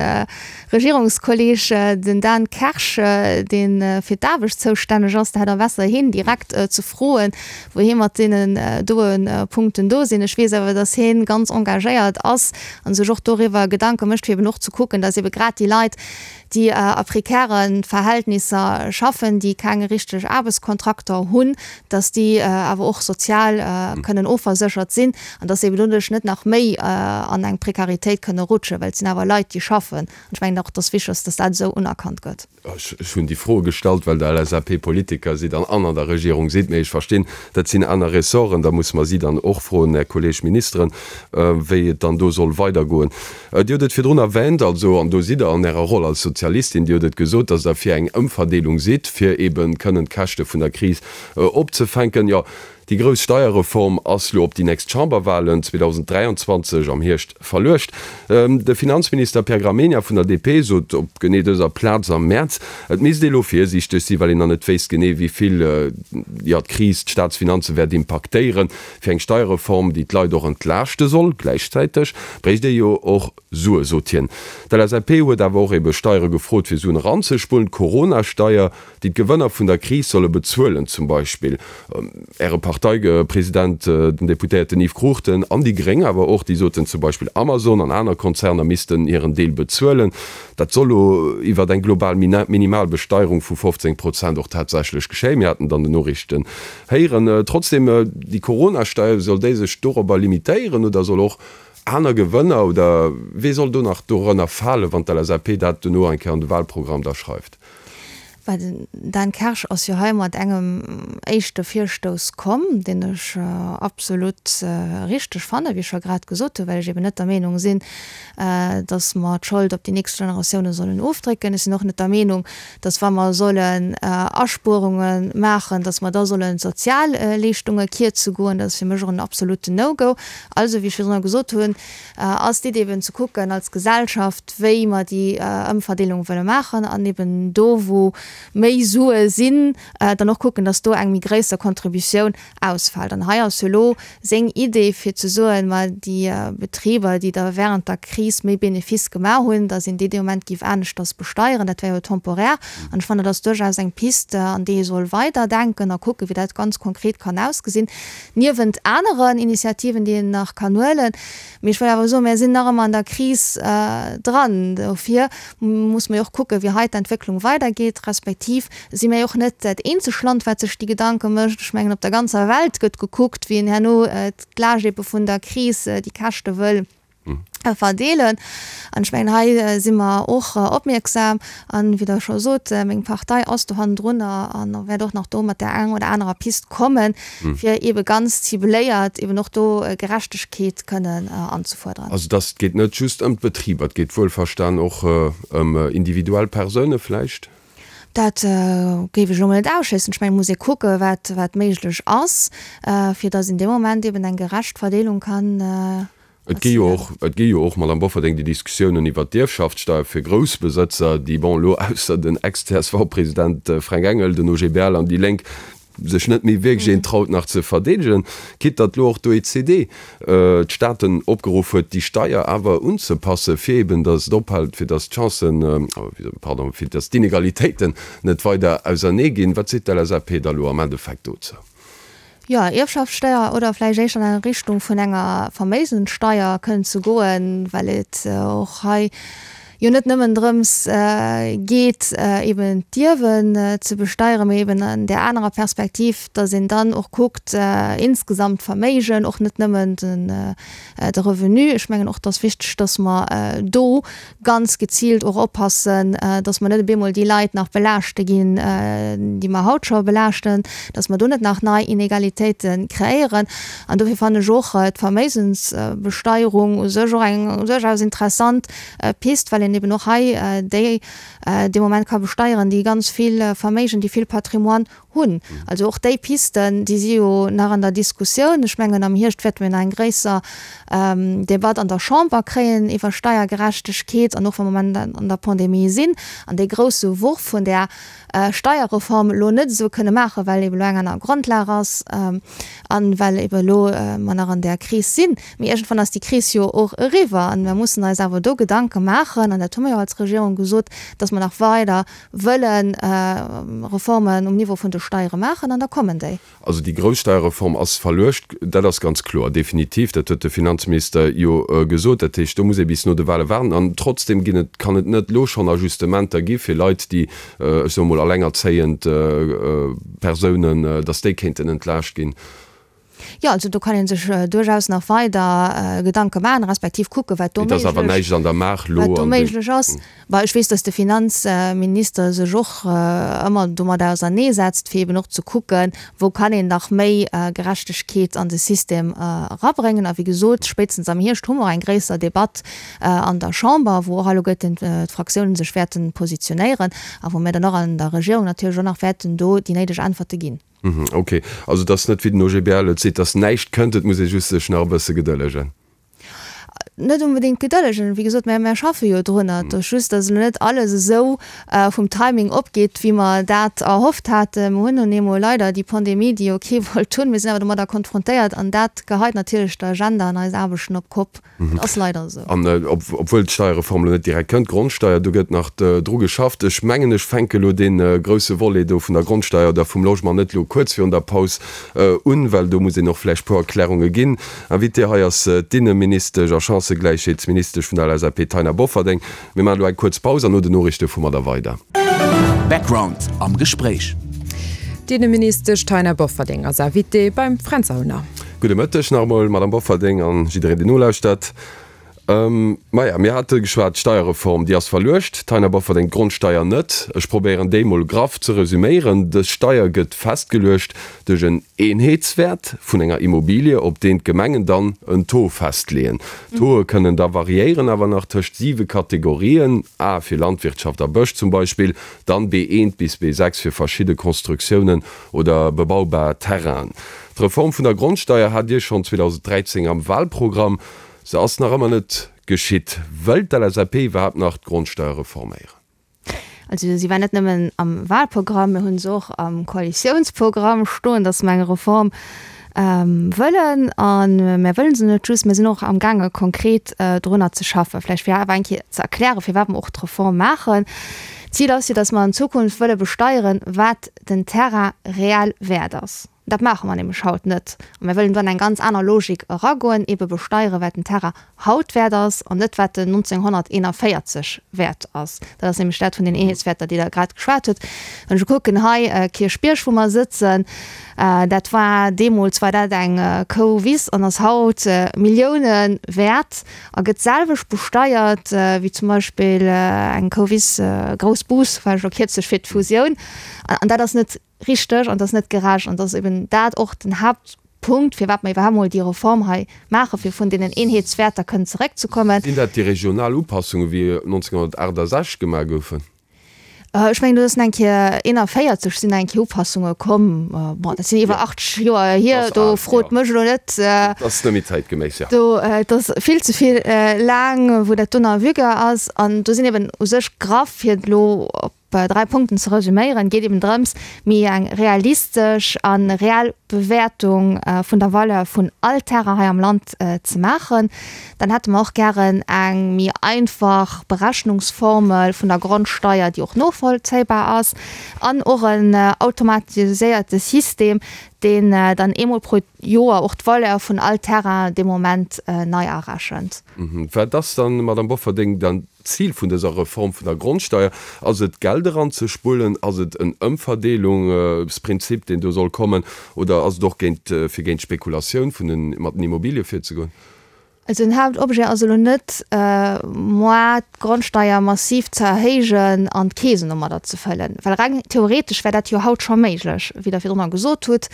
Speaker 4: Regierungskolleg, den Dan Kersch, dee fir d'Aarbecht zoustänneg ass. Da hätt Der besser hien direkt ze froen, wou hie mat deenen doen Punkten do sinn. Ech weess awer, datt hien ganz engagéiert ass a sech och doriwwer Gedanke mécht, fir eben och ze kucken, datt ebe grad déi Leit, déi a prekäre Verhältnisser schaffen, déi keng richteg Aarbechtskontrakter hunn, datt déi awer och sozial kënnen ofverséchert sinn an datt se eben doduerch net nach méi an eng Prekaritéit kënne rutschen, well et sinn awer Leit, déi schaffen. An ech mengen och, et ass wichteg, datt dat esou unerkannt gëtt.
Speaker 3: Ech hunn déi Froe gestallt, well Der L S A P-Politiker sidd an an der Regierung sidd. Mee ech verstinn, dat sinn aner Ressorten, da musse mer si dann och froen, Här Kolleg Ministeren, wéi et dann do soll weidergoen. Dir hutt et virdrun erwähnt, also, an do sidd Der an Ärer Roll als Sozialistin, Dir hutt et gesot, datt Der fir eng Ëmverdeelung sidd, fir eebe kënnen d'Käschte vun der Kris opzefänken. Jo, déi grouss Steierreform ass lo op déi nächst Chamberwahlen zweedausendräianzwanzeg am Hierscht verluecht. De Finanzminister Pierre Gramegna vun der D P sot op genee dëser Plaz am Mäerz, et misst ee lo virsiichteg sinn, well een nach net wéisst genee, wéi vill, jo, d'Kris d'Staatsfinanze wäert impaktéieren. Fir eng Steierreform, déi d'Leit och entlaaschte soll, gläichzäiteg bréicht ee jo och Sue, sot hien. D'L S A P huet awer och ebe Steiere gefrot, fir Suen eranzespullen, d'Corona-Steier, déi d'Gewënner vun der Kris solle bezuelen, zum Beispill Äre Parteipresident, den Deputéierten Yves Cruchten, an déi Gréng awer och, déi soten zum Beispill, Amazon an aner Konzerner missten hiren Deel bezuelen. Dat soll elo iwwer eng global Minimalbesteierung vu fofzéng Prozent och tatsächlech geschéien. Mir haten et an den Noriichten héieren. Trotzdem, déi Corona-Steier, soll déi sech dorobber limitéieren oder soll och aner Gewënner oder wee soll do nach dorënner falen, wann d'L S A P dat dono eng Kéier an de Wahlprogramm da schreift?
Speaker 4: Well den Dan Kersch ass jo hei mat engem éischte Virstouss komm, deen ech absolut richteg fannen, wéi ech scho grad gesot hunn, well ech eben net der Meenung sinn, datt mer d'Schold op déi nächst Generatioune sollen ofdrécken. Ech sinn och net der Meenung, datt wa mer sollen Aspuerunge maachen, datt mer da sollen d'Sozialleeschtunge kierze goen. Dat ass fir mech och en absoluten No-Go. Also, wéi ech virdrunner gesot hunn, ass d'Iddi eben ze kucken als Gesellschaft, wéi mer déi Ëmverdeelung wëlle maachen an eben do, wou méi Sue sinn, dann och kucken, dass do eng méi gréisser Contributioun ausfält. An hei ass jo elo seng Idee, fir ze soen, ma déi Betriber, déi da während der Kris méi Benefice gemaach hunn, dass een déi dee Moment géif aneschters besteieren. Dat wär jo temporär. An ech fannen, dat ass duerchaus eng Piste, an déi ee soll weiderdenken a kucken, wéi dat ganz konkret kann ausgesinn, niewent aneren Initiativen, déi een nach kann huelen. Mee ech wëll awer soen, mir sinn nach ëmmer an der Kris dran. Dofir muss mer jo och kucken, wéi hei d'Entwécklung weidergeet, respektiv si mir jo och net dat eenzeg Land, wat sech déi Gedanke mécht. Ech mengen, op der ganzer Welt gëtt gekuckt, wéi een herno d'Laascht ebe vun der Kris, déi Käschte wëll verdeelen. An ech mengen, hei si mer och opmierksam. An, wéi Der scho sot, meng Partei ass do hannendrun a wäert och nach do mat där enger oder anerer Pist kommen, fir eebe ganz cibléiert eeben och do Gerechtegkeet kënnen anzefuerderen.
Speaker 3: Also dass et geet net just ëm d'Betriber, et geet wuelverstan och ëm individuell Persoune vläicht?
Speaker 4: Dat géif ech elo mol net ausschléissen. Ech mengen, et muss ee kucken, wat, wat méiglech ass, fir datt een dee Moment eben eng gerecht Verdeelung kann
Speaker 3: Et gi jo och, et gi jo och, Madame Bofferding, déi Diskussiounen iwwert d'Ierfschaftssteuer fir Groussbesëtzer, déi, bon, elo ausser den Ex-CSV-President Fränk Engel, den OGBL an déi Lénk sech net méi wierklech een traut nach ze verdeedegen, quitte datt elo och d'OECD d'Staaten opgeruff huet, déi Steier awer unzepassen, fir eben datt et ophält, fir datt d'Chancen, pardon, fir datt d'Inegalitéiten net weider ausernee ginn. Wat seet d'LSAP da elo am Endeffekt dozou?
Speaker 4: Jo, Ierfschaftssteuer oder vläicht éischter an Richtung vun enger Verméigenssteuer kënnen ze goen, well et och hei jo net nëmmen drëms geet, eben d'Ierwen ze besteieren, mee eben an där anerer Perspektiv, dass een dann och kuckt insgesamt d'Verméigen, och net nëmmen de Revenu. Ech mengen och, et ass wichteg, dass mer do ganz geziilt och oppassen, dass mer net op eemol déi Leit nach belaaschte ginn, déi mer haut scho belaaschten, dass mer do net nach nei Inegalitéite kreéieren. An dofir fannen ech och d'Verméigensbesteierung u sech och eng duerchaus interessant Pist, well een eben och hei déi dee Moment ka besteieren, déi ganz vill Verméigen, déi vill Patrimoine hunn. Also och déi Pisten, déi si jo nach an der Diskussioun. Ech mengen, am Hierscht wäerte mir nach eng gréisser Debatt an der Chamber kréien iwwer Steiergerechtegkeet an och wa mer am Moment an der Pandemie sinn an dee grousse Worf vun där Steierreform elo net esou kënne maachen, well eben elo eng aner Grondlag ass a well eben elo mer nach an där Kris sinn. Mee iergendwann ass déi Kris jo och eriwwer an mer mussen eis awer do Gedanke maachen, an dat hu mer jo als Regierung gesot, dass mer nach weider wëlle Reformen um Niveau vun de Steiere maachen an da kommen déi.
Speaker 3: Also déi grouss Steierreform ass verluecht, dat ass ganz kloer, definitiv. Dat huet de Finanzminister jo gesot. Dat heescht, do muss ee bis no de Wahle waarden. An trotzdem ginn et, kann et net elo schonn Ajustementer gi fir Leit, déi, ech soe mol, allengerzéiend Persounen, datt déi kéinten entlaascht ginn.
Speaker 4: Jo, also do kann ee sech duerchaus nach weider Gedanke maachen, respektiv kucken, wat do
Speaker 3: méiglech,
Speaker 4: wat do méiglech ass. Bah, ech weess, datt de Finanzminister sech och ëmmer domadder auserneesetzt, fir eben och ze kucken, wou kann een nach méi Gerechtegkeet an de System erabréngen. A wéi gesot, spéitstens am Hierscht hu mer eng gréisser Debatt an der Chamber, wou och alleguerten d'Fraktiounen sech wäerten positionéieren a wou mir dann och an der Regierung natierlech och nach wäerten do déi néideg Äntwerte ginn.
Speaker 3: Ok, also et ass net wéi den OGBL et seet, datt näischt kënnt, et muss ee just sech nach e bësse gedëllegen.
Speaker 4: Net onbedéngt gedëllegen, wéi gesot, mä mär schaffe jo drunner. Et ass just, datt elo net alles esou vum Timing opgeet, wéi mer dat erhofft haten. Mer hunn nun eemol leider déi Pandemie, déi jo kee wollt hunn. Mir sinn awer domadder konfrontéiert an dat geheit natierlech d'Agenda an eis Aarbechten op d'Kopp. Et ass leider esou.
Speaker 3: An obwuel d'Steierreform elo net direkt kënnt, d'Grondsteier, do gëtt nach dru geschafft. Ech mengen, ech fänke elo dee grousse Volet do vun der Grondsteier oder vum Logement net elo kuerz virun der Paus un, well do muss een och vläicht puer Erklärunge ginn. Invitée hei ass d'Inneministesch a Chancëgläichheetsministesch vun der LSAP, Taina Bofferding. Mir maachen elo eng kuerz Paus an no den Noriichte fu mer da weider.
Speaker 1: Background am Gespréich.
Speaker 5: D'Inneministesch Taina Bofferding ass Invitée beim Fränz Aulner.
Speaker 3: Gudde Mëtteg nach emol, Madame Bofferding an jiddereen, deen nolauschtert. Maja, mir hate geschwat, d'Steierreform, déi ass verluecht, Taina Bofferding, d'Grondsteier net. Ech probéieren déi mol graff ze resüméieren. Dës Steier gëtt festgeluecht duerch en Eenheetswäert vun enger Immobilie, op deen d'Gemengen dann en Taux festleeën. D'Tauxe kënnen da variéieren, awer nach tëscht siwe Kategorien, A fir Landwirtschaft a Bësch zum Beispill, dann B eent bis B sechs fir verschidde Konstruktiounen oder bebaubar Terrainen. D'Reform vun der Grondsteier hat Dir schonn zweedausenddräizéng am Wahlprogramm. Se ass nach ëmmer net geschitt. Wëllt d'L S A P iwwerhaapt nach d'Grondsteier reforméieren?
Speaker 4: Also si war net nëmmen am Wahlprogramm, mir hu se och am Koalitiounsprogramm stoen, datt mer eng Reform wëllen. A mir wëllen se net just, mir sinn och amgaange konkret drunner ze schaffen. Vläicht fir awer eng Kéier ze erklären, firwat mer och d'Reform maachen. D'Zil ass jo, datt mer an Zukunft wëlle besteieren, wat den Terrain reell wäert ass. Dat maache mer nämlech haut net. A mir wëllen do an eng ganz aner Logik eragoen, ebe besteiere wat den Terrain haut wäert ass an net wat en nonzénghonnerteenanvéierzeg wäert ass. Dat ass nämlech dat vun den Eenheetswäerter, déi Der grad geschwat hutt. Wann ech kucken hei Kierchbierg, wou mer sëtzen, dat war deemools war dat eng Kouwiss an ass haut Millioune wäert a gëtt d'selwecht besteiert wéi zum Beispill eng Kouwiss Groussbus, war ech elo kierzlech fir d'Fusioun. An dat ass net richteg an dat ass net gerecht an dat ass eben dat och den Haaptpunkt, firwat mer iwwerhaapt mol déi Reform hei maachen, fir vun deenen Eenheetswäerter kënnen zeréckzekommen.
Speaker 3: Sinn dat déi regional Upassungen, wéi nonzénghonnertaachtasechzeg gemaach goufen?
Speaker 4: Ech mengen, do ass eng Kéier eenanvéierzeg sinn eng Kéier Upassunge komm. Bon, dat sinn iwwer achtzeg Joer hier, do frot mech elo net.
Speaker 3: Dat ass net méi zäitgeméiss, jo.
Speaker 4: Do, et ass vill ze vill laang, wou dat do nach en vigueur ass. An do sinn eben u sech graff, fir et elo op dräi Punkten ze resüméieren, geet eben drëms, méi eng realistesch a reell Bewäertung vun der Valeur vun all Terrain hei am Land ze maachen. Dann hätte mer och gären eng méi einfach Berechnungsformel vun der Grondsteier, déi och novollzéibar ass, an och en automatiséierte System, deen dann eemol pro Joer och d'Valeur vun all Terrain dee Moment nei erechent.
Speaker 3: Wat ass dann, Madamm Bofferding, dann d'Zil vun dëser Reform vun der Grondsteier? Ass et Geld eranzespullen? Ass et en Ëmverdeelungsprinzip, deen do soll kommen? Oder ass et och géint, fir géint d'Spekulatioun vun den, mat den Immobilie virzegoen?
Speaker 4: Also den Haaptobjet ass elo net, moi d'Grondsteier massiv ze erhéijen an d'Keesen domadder ze fëllen, well reng theoretesch wär dat jo haut scho méiglech, wéi Der virdrunner gesot hutt.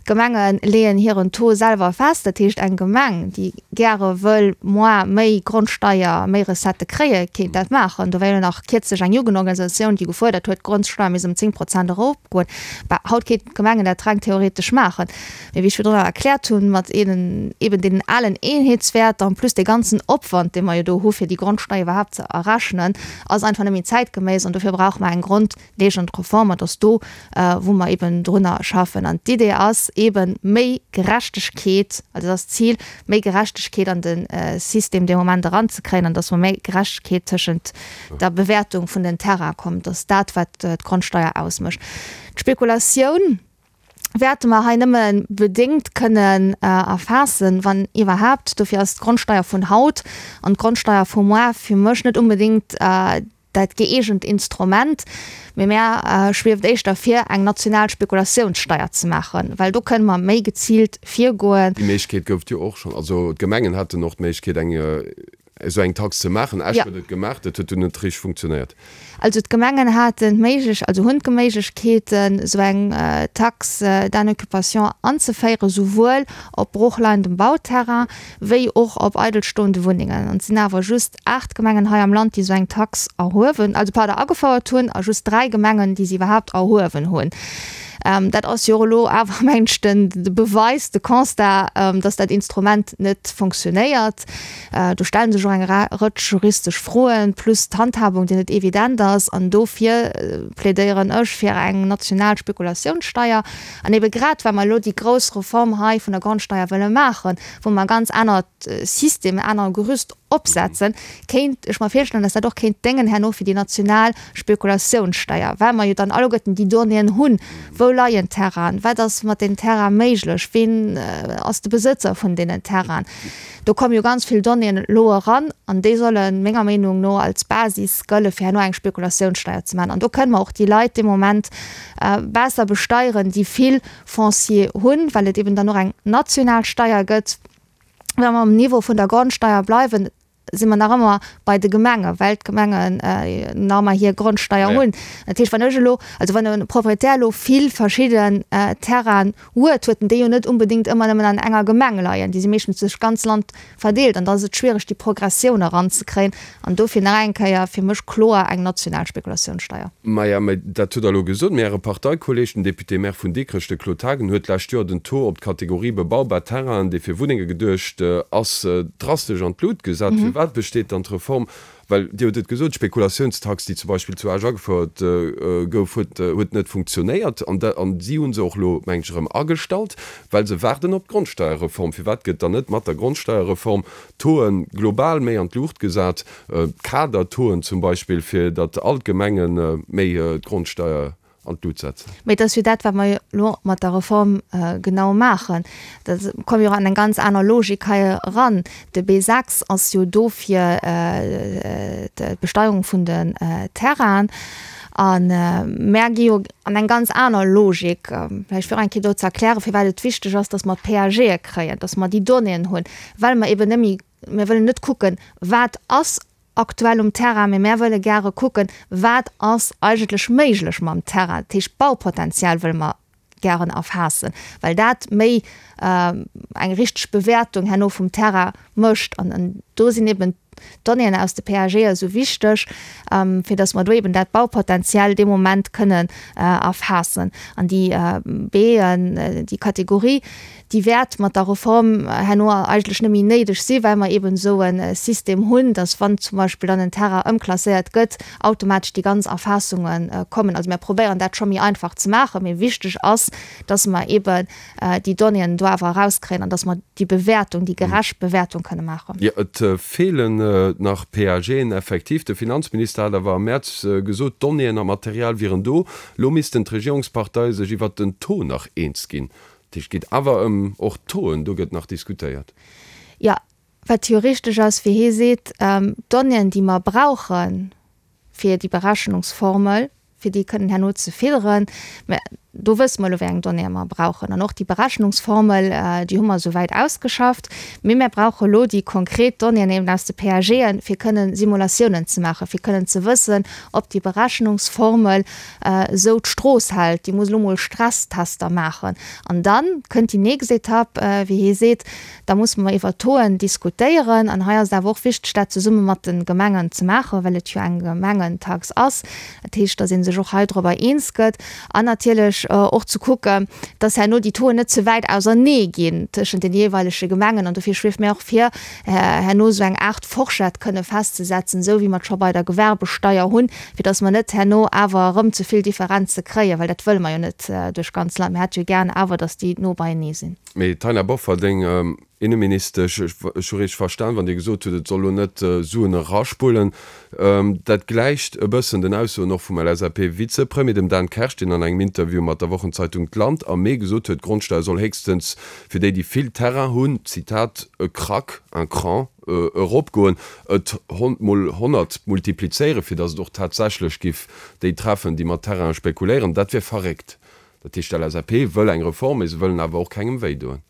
Speaker 4: D'Gemenge leeën hiren Taux selwer fest. Dat heescht, eng Gemeng, déi gäre wëll moi méi Grondsteier, méi Recettë kréien, kéint dat maachen. Do war jo nach kierzlech eng Jugendorganisatioun, déi gefuerdert huet, d'Grondsteier misst ëm zéng Prozent eropgoen. Bah, haut kéinten d'Gemengen dat reng theoretesch maachen. Mee wéi ech virdrunner erkläert hunn, mat eenen, eben deenen alen Eenheetswäerter en plus dee ganzen Opwand, dee mer jo do hu fir déi Grondsteier iwwerhaapt ze errechnen, ass einfach net méi zäitgeméiss an dofir brauche mer eng grondlegend Reform an et ass do, wou mer eben drunner schaffen. An d'Idee ass eben méi Gerechtegkeet, also dat ass d'Zil, méi Gerechtegkeet an de System dee Moment eranzekréien an dass mer méi Gerechtegkeet tëschent der Bewäertung vun den Terrainen kommt. Dat ass dat, wat d'Grondsteier ausmécht. D'Spekulatioun wäerte mer hei nëmme bedéngt kënnen erfaassen, wann iwwerhaapt. Dofir ass d'Grondsteier vun haut an d'Grondsteier vu muar fir mech net unbedéngt dat gëeegent Instrument, mee mär schwieft éischter vir, eng national Spekulatiounssteier ze maachen, well do kënne mer méi geziilt virgoen.
Speaker 3: Déi Méiglechkeet gouf et jo och schonn. Also d'Gemengen haten och d'Méiglechkeet, eng esou eng Tax ze maachen. Esch huet et gemaach, dat huet dunn net richteg funktionéiert.
Speaker 4: Also d'Gemengen haten d'Méiglech, also hunn d'Méiglechkeeten, esou eng Taxe d'inoccupation anzeféieren, souwuel op broochleiendem Bauterrain wéi och op eidelstoende Wunnengen. An et sinn awer just aacht Gemengen hei am Land, déi esou eng Tax erhuewen, also pardon, agefouert hunn, a just dräi Gemengen, déi se iwwerhaapt erhuewen hunn. Dat ass jo och elo awer, mengen ech, den de Beweis, de Constat, dass dat Instrument net fonctionnéiert. Do stelle sech och eng Rëtsch juristesch Froen, plus d'Handhabung, déi net evident ass. An dofir plädéieren ech fir eng national Spekulatiounssteier. An ebe grad, well mer elo déi grouss Reform hei vun der Grondsteier wëlle maachen, wou mer e ganz anert System, en anere Gerüst opsetzen, kéint ech mer virstellen, dass dat och kéint déngen herno fir déi national Spekulatiounssteier, well mer jo dann alleguerten déi Donnéeën hunn, Wou leien d'Terrainen, wat ass mat den Terraine méiglech, ween ass de Besëtzer vun deenen Terrainen. Do komme jo ganz vill Donnéeën elo eran an déi solle menger Meenung no als Basis gëlle fir herno eng Spekulatiounssteier ze maachen. An do kënne mer och déi Leit dee Moment besser besteieren, déi vill Foncier hunn, well et eben dann och eng national Steier gëtt. Wa mer um Niveau vun der Grondsteier bleiwen, si mer nach ëmmer bei de Gemengen, well d'Gemengen nach ëmmer hir Grondsteier hunn. Dat heescht, wann ech elo, also wann e Proprietär elo vill verschidden Terrainen huet, huet en déi jo net unbedéngt ëmmer nëmmen an enger Gemeng leien. Déi si meeschtens duerch d'ganz Land verdeelt an da ass et schwiereg, déi Progressioun eranzekréien. An dofir nach eng Kéier fir mech kloer eng national Spekulatiounssteier.
Speaker 3: Maja, mä dat hutt Der elo gesot. Mä Äre Parteikolleeg, den Député-maire vun Dikrech, de Claude Haagen, huet d'lescht Joer den Taux op d'Kategorie bebaubar Terrainen, dee fir Wunnenge geduecht ass, drastesch an d'Lut gesat. Firwat besteet dann d'Reform? Well Dir hutt et gesot, d'Spekulatiounstax, déi zum Beispill zu Esch agefouert gouf, huet huet net funktionéiert. An da an si hu se och elo, mengen ech, erëm agestallt, well se waarden op d'Grondsteierreform. Firwat gëtt dann net mat der Grondsteierreform d'Tauxen global méi an d'Luucht gesat, d'Kadertauxen zum Beispill, fir datt all d'Gemenge méi d'Grondsteier an d'Lut setzen.
Speaker 4: Mee et ass jo dat, wat mer elo mat der Reform genau maachen. Da komme jo och an eng ganz aner Logik hei eran. De B sechs ass jo do fir d'Besteierung vun den Terrainen. A mär gi jo an eng ganz aner Logik. Vläicht fir och eng Kéier do ze erklären, firwat et wichteg ass, dass mer d'PAGe kréien, dass mer déi Donnéeën hunn, well mer eben net méi, mir wëllen net kucken, wat ass aktuell um Terrain, mee mär wëlle gäre kucken, wat ass eigentlech méiglech mam Terrain. Dat heescht, d'Baupotenzial wëlle mer gären erfaassen, well dat méi eng richteg Bewäertung herno vum Terrain mécht. An do sinn eben d'Donnéeën aus de PAGe esou wichteg, fir datt mer do eben dat Baupotenzial dee Moment kënnen erfaassen. An déi Been, déi Kategorie, déi wäert mat der Reform herno eigentlech net méi néideg si well mer eben esou e System hunn, dass wann zum Beispill dann en Terrain ëmklasséiert gëtt, automatesch déi ganz Erfaassunge kommen. Also mir probéieren dat scho méi einfach ze maachen, mee wichteg ass, dass mer eben déi Donnéeën do awer erauskréien an dass mer déi Bewäertung, déi gerecht Bewäertung kënne maachen.
Speaker 3: Jo, et feelen nach PAGen effektiv. De Finanzminister hat awer am Mäerz gesot, d'Donnéeën a Material wieren do. Elo missten d'Regierungsparteie sech iwwert den Taux nach eens ginn. Dat heescht, et geet awer ëm och d'Tauxen, do gëtt nach diskutéiert.
Speaker 4: Jo, wat jo richteg ass, wéi hie seet, d'Donnéeën, déi mer brauche fir déi Berechnungsformel, fir déi kënnen herno ze fidderen, mä do wësse mer elo, wéi eng Donnéeë mer brauchen. An och déi Berechnungsformel, déi hu mer esouwäit ausgeschafft. Mee mer brauche elo déi konkret Donnéeën eben aus de PAGen, fir kënnen Simulatiounen ze maachen, fir kënnen ze wëssen, ob déi Berechnungsformel esou d'Strooss hält. Déi muss elo mol Stresstester maachen. An da kënnt déi nächst Etapp, wéi hie seet, da musse mer iwwert d'Tauxen diskutéieren. An hei ass et awer och wichteg, dat zesumme mat de Gemengen ze maachen, well et jo eng Gemengentax ass. Dat heescht, datt ee sech och hei driwwer eens gëtt. An natierlech och ze kucken, datt herno déi Tauxen net ze wäit ausernee ginn tëschent den jeeweilege Gemengen. An dofir schwieft mir och vir, herno esou eng Aart Forschett kënne festzesetzen, esou wéi mer et scho bei der Gewerbesteier hunn, fir datt mer net herno awer erëm ze vill Differenze kréien, well dat wëlle mer jo net duerch d'ganz Land. Mir hätte jo gären awer, datt déi no beienee sinn.
Speaker 3: Mme Taina Bofferding, Inneministesch, Ech hu richteg verstan, wann Dir gesot hutt, et soll elo net Suen eraspullen. Dat gläicht e bëssen den Aussoen och vum LSAP-Vizepremier, dem Dan Kersch, deen an engem Interview mat der Wochenzeitung d'Land am Mee gesot huet, d'Grondsteier soll héchstens fir déi, déi vill Terrain hunn, Zitat, e Krack, un cran, eropgoen, et mol honnert multiplizéieren, fir datt et och tatsächlech giff déi treffen, déi mat Terraine spekuléieren. Dat wier verréckt. Dat heescht, d'LSAP wëll eng Reform, mee se wëllen awer och kengem wéi doen.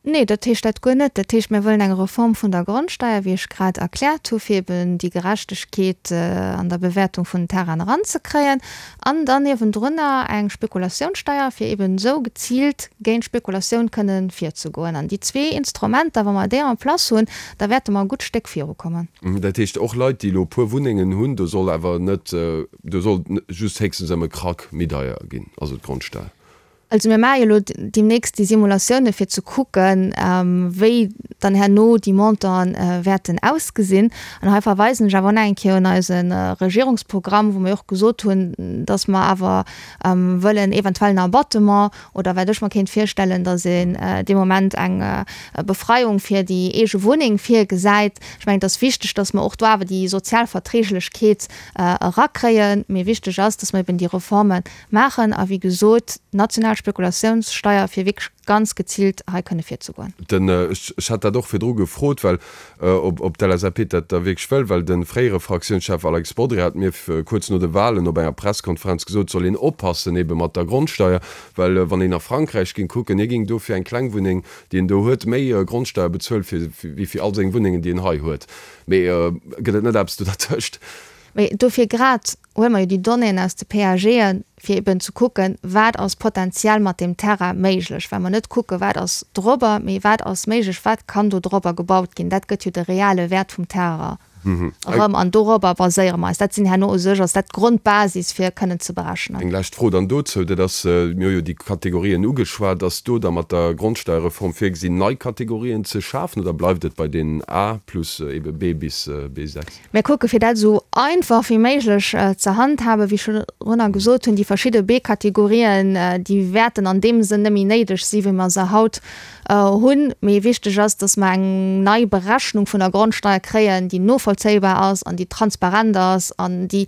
Speaker 4: Nee, dat heescht dat guer net. Dat heescht, mir wëllen eng Reform vun der Grondsteier, wéi ech grad erkläert hu, fir eben déi Gerechtegkeet an der Bewäertung vun den Terrainen eranzekréien, an dann niewendrunner eng Spekulatiounssteier, fir eben esou geziilt géint d'Spekulatioun kënnen virzegoen. An déi zwee Instrumenter, wa mer déi en place hunn, da wäerte mer e gutt Stéck virukommen.
Speaker 3: Dat heescht, och Leit, déi elo e puer Wunnengen hunn, do soll awer net, do soll just héchstens ëm e Krack méi deier ginn, also d'Grondsteier.
Speaker 4: Also mir maache jo elo deemnächst déi Simulatioune fir ze kucken, wéi dann herno déi Montanten wäerten ausgesinn. An hei verweisen ech awer och nach eng Kéier un eise Regierungsprogramm, wou mir och gesot hunn, datt mer awer wëllen eventuell en Abattement oder wat ech mer kéint virstellen, datt een dee Moment eng Befreiung fir déi eege Wunneng virgesäit. Ech mengen, et ass wichteg, datt mer och do awer déi sozial Verträglechkeet erakréien. Mee wichteg ass, datt mer eben déi Reforme maachen a wéi gesot, d'national Spekulatiounssteier, fir wierklech ganz geziilt hei kënne virzegoen.
Speaker 3: Den, ech hat dat och virdru gefrot, well ob, ob d'LSAP dat da wierklech wëll, well de fréiere Fraktiounschef Alex Bodry hat mir kuerz no de Wahlen op enger Presskonferenz gesot, et soll een oppassen ebe mat der Grondsteier, well wann een a Frankräich géing kucken, hie géing do fir eng kleng Wunneng, déi en do huet, méi Grondsteier bezuelen, fir, wéi fir all seng Wunnengen, déi en hei huet. Mee gëtt et net eppes do dertëscht?
Speaker 4: Mee dofir grad huele mer jo déi Donnéeën aus de PAGen, fir eben ze kucken, wat ass potenziell mat deem Terrain méiglech, well mer net kucken, wat ass dorobber, mee wat ass méiglech, wat kann do dorobber gebaut ginn. Dat gëtt jo de reale Wäert vum Terrain erëm an dorobber baséiere mer eis. Dat sinn herno u sech, ass dat d'Grondbasis, fir kënnen ze berechnen.
Speaker 3: Eng lescht Fro dann dozou, dat ass, mir hu jo déi Kategorien ugeschwat, Ass do da mat der Grondsteierreform virgesinn, nei Kategorien ze schafen oder bleift et bei deenen A plus ebe B bis B sechs?
Speaker 4: Mir kucke fir dat esou einfach wéi méiglech ze handhaben. Wéi ech virdrunner gesot hunn, déi verschidde B-Kategorien, déi wäerten an deem Sënn net méi néideg si wéi mer se haut hunn. Mee wichteg ass, datt mer eng nei Berechnung vun der Grondsteier kréien, déi novollzéibar ass an déi transparent ass an déi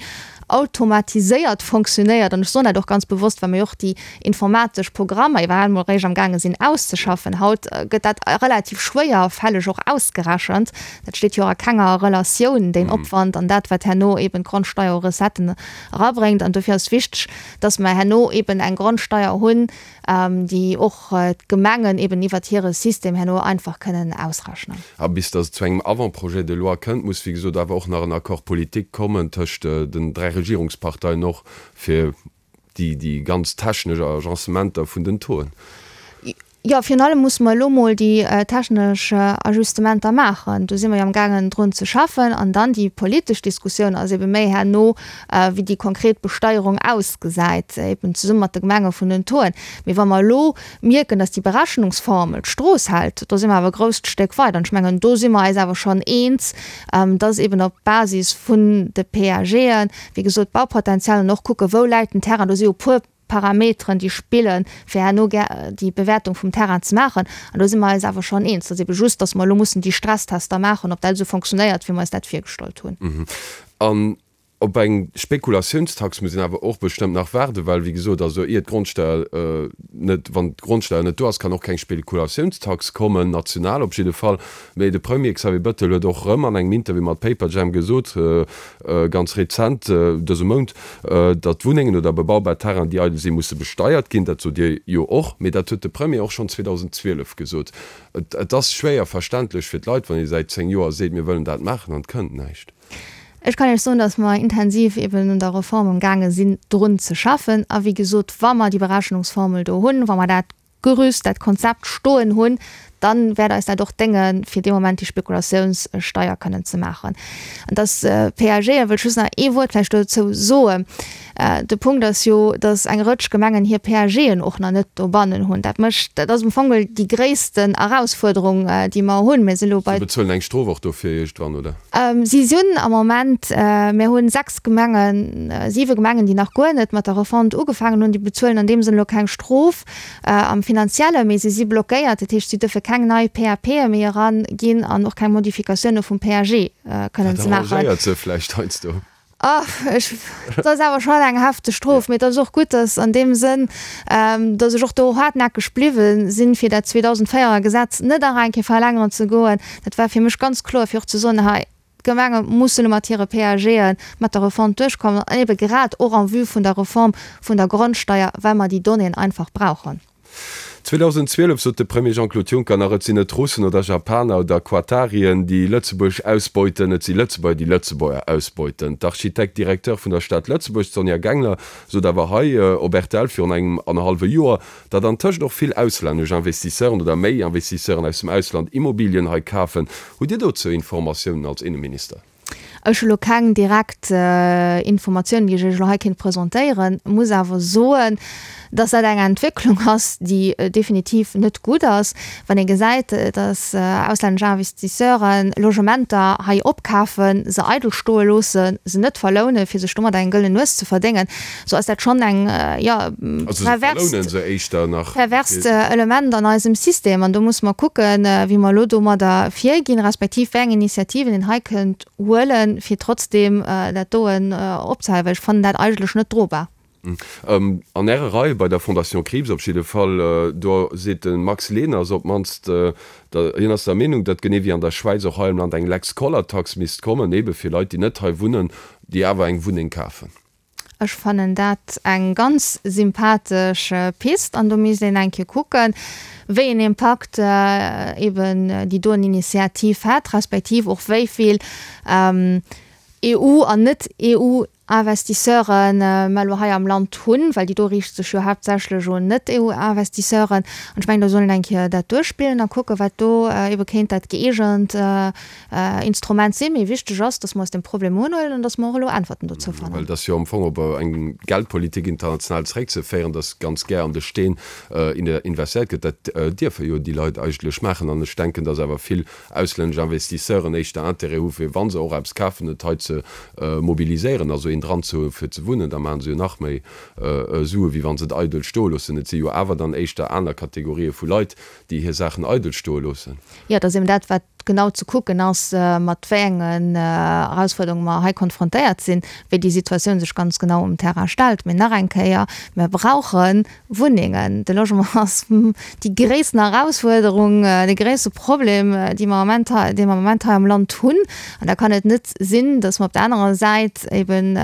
Speaker 4: automatiséiert fonctionnéiert. An ech soen dat och ganz bewosst, well mir jo och déi informatesch Programmer iwwerhaapt emol eréischt amgaange sinn auszeschaffen. Haut gëtt dat relativ schwéierfälleg och ausgerechent. Dat steet jo och a kenger Relatioun, deen Opwand an dat, wat herno eben d'Grondsteier u Recetten erabréngt. An dofir ass wichteg, dass mer herno eben eng Grondsteier hunn, déi och d'Gemengen eben iwwert hire System herno einfach kënnen ausrechnen.
Speaker 3: A bis dass et zu engem Avant-projet de loi kënnt, muss, wéi gesot, awer och nach en Accord politique kommen tëscht den dräi Regierungsparteien och, fir déi ganz technesch Agencementer vun den Tauxen.
Speaker 4: Jo, virun allem musse mer elo mol déi technesch Ajustementer maachen. Do si mer jo amgaangen drun ze schaffen. An dann déi politesch Diskussioun ass ebe méi herno, wéi déi konkret Besteierung ausgesäit, eben zesumme mat de Gemenge vun den Tauxen. Mee wa mer elo mierken, datt déi Berechnungsformel d'Strooss hält, do si mer awer e grousst Stéck weider. An ech mengen, do si mer eis awer schonn eens, datt eben op Basis vun de PAGen, wéi gesot, d'Baupotenzial an och kucke wou läit den Terrain, do si jo e puer Parameteren, déi spillen, fir herno déi Bewäertung vum Terrain ze maachen. An do si mer eis awer schonn eens. Et ass ebe just, datt mer elo mussen déi Stresstester maachen, ob dat esou fonctionnéiert, wéi mer eis dat virgestallt hunn.
Speaker 3: An op eng Spekulatiounstax muss een awer och bestëmmt nach waarden, well, wéi gesot, also ier d'Grondsteier net, wann d'Grondsteier net do ass, kann och keng Spekulatiounstax kommen, national op jidde Fall. Mee de Premier Xavier Bettel huet och erëm an engem Interview mat Paperjam gesot, ganz rezent, dëse Mount, datt Wunnengen oder bebaubar Terrainen, déi eidel sinn, musse besteiert ginn. Dat sot Dir jo och, mee dat huet de Premier och schonn zweedausendzwielef gesot. Et ass schwéier verständlech fir d'Leit, wann ee säit zéng Joer seet, mir wëllen dat maachen an et kënnt näischt.
Speaker 4: Ech kann Iech soen, datt mer intensiv eben un der Reform amgaange sinn, drun ze schaffen. A wéi gesot, wa mer déi Berechnungsformel do hunn, wa mer dat Gerüst, dat Konzept stoen hunn, dann wäert eis dat och déngen, fir dee Moment déi Spekulatiounssteier kënnen ze maachen. An dass d'PAGen, wëll ech just nach ee Wuert vläicht dozou soen, de Punkt ass jo, dass eng Rëtsch Gemengen hir PAGen och nach net dobannen hunn. Dat mécht, dat ass am Fong geholl déi gréissten Erausfuerderung, déi mer hunn. Mir si elo bei.
Speaker 3: Si bezuelen eng Strof och dofir iergendwann, oder?
Speaker 4: Si sinn am Moment, mir hunn sechs Gemengen, siwe Gemengen, déi nach guer net mat der Refonte ugefaangen hunn, déi bezuelen an deem Sënn elo keng Strof am Finanziellen, mee si si blockéiert. Dat heescht, si duerfe keng nei PAPe méi eraginn an och keng Modifikatioune vum PAG kënnen ze maachen.
Speaker 3: Dat arrangéiert se vläicht heiansdo.
Speaker 4: Ach, ech, dat ass awer schonn eng hefteg Strof. Mee et ass och gutt, dass an deem Sënn, dass ech och do haartnäckeg bliwwe sinn, fir dat zweedausendvéierer Gesetz net nach eng Kéier verlängeren ze goen. Dat war fir mech ganz kloer, fir och ze soen, hei, d'Gemenge mussen elo mat hire PAGe mat der Refonte duerchkommen, an ebe grad och en vue vun der Reform vun der Grondsteier, well mer déi Donnéeën einfach brauchen.
Speaker 3: zweedausendzwielef sot de Premier Jean-Claude Juncker nach, Et sinn net Russen oder Japaner oder Quatarien, déi Lëtzebuerg ausbeuten, et si Lëtzebuerger, déi Lëtzebuerger ausbeuten. D'Architect-Directeur vun der Stad Lëtzebuerg, d'Sonja Gengler, sot awer hei op rtl virun engem annerhallwe Joer, datt antëscht och vill auslännesch Investisseuren oder méi Investisseuren aus dem Ausland Immobilien hei kafen. Hutt Dir dozou Informatiounen als Inneminister?
Speaker 4: Ech hu lo keng direkt Informatiounen, déi ech Iech elo hei kéint presentéieren, muss awer soen, dass dat eng Entwécklung ass, déi definitiv net gutt ass, wann ee gesäit, dass auslännesch Investisseure Logementer hei opkafen, se eidel stoe loossen, se net verlounen, fir sech domat eng gëllen Nues ze verdéngen. Sou ass dat schonn eng, jo, perverst, perverst Element an eisem System. An do musse mer kucken, wéi mer elo domadder virginn, respektiv wéi eng Initiativen een hei kënnt huelen, fir trotzdem dat doen opzehalen, well ech fannen dat eigentlech net drobar.
Speaker 3: An Äre Reie bei der Fondation Krieps op jidde Fall, do seet de Max Leners op d'mannst, hien ass der Meenung, datt genee wéi an der Schwäiz och hei am Land eng Lex Koller-Tax misst kommen, ebe fir Leit, déi net hei wunnen, déi awer eng Wunneng kafen.
Speaker 4: Ech fannen dat eng ganz sympathesch Pist an do misst een eng Kéier kucken, wéi en Impakt eben déi doen Initiativ hätt, respektiv och wéi vill EU an Net-EU-Investisseure mer elo hei am Land hunn, well déi do riicht sech jo haaptsächlech un Net-EU-Investisseuren. An ech mengen, do soll een eng Kéier dat duerchspillen a kucken, wat do ebe kéint dat gëeegent Instrument sinn. Mee wichteg ass, dass mer eis deem Problem unhuelen an dass mer och elo Äntwerten dozou fannen.
Speaker 3: Well et ass jo am Fong op eng Geldpolitik international zeréckzeféieren, dass ganz gär an de Steen investéiert gëtt. Dat dierfe jo déi Leit eigentlech maachen. An ech denken, dass awer vill auslännesch Investisseuren éischter Intérêt hu fir, wa se och eppes kafen, et hei ze mobiliséieren, also een dran ze hu fir ze wunnen, da maache se jo nach méi Sue wéi wa se et eidel stoe loossen. Et si jo awer dann éischter aner Kategorië vu Leit, déi hir Saachen eidel stoe loossen.
Speaker 4: Jo, et ass eben dat, wat genau ze kucken ass, mat wéi engen Erausfuerderunge mer hei konfrontéiert sinn, wéi déi Situatioun sech ganz genau um Terrain stellt. Mee nach eng Kéier, Mir brauche Wunnengen. De Logement ass déi gréissten Erausfuerderung, de gréisste Problem, dee mer am Moment hei, dee mer am Moment hei am Land hunn. An da kann et net sinn, dass mer op der anerer Säit eben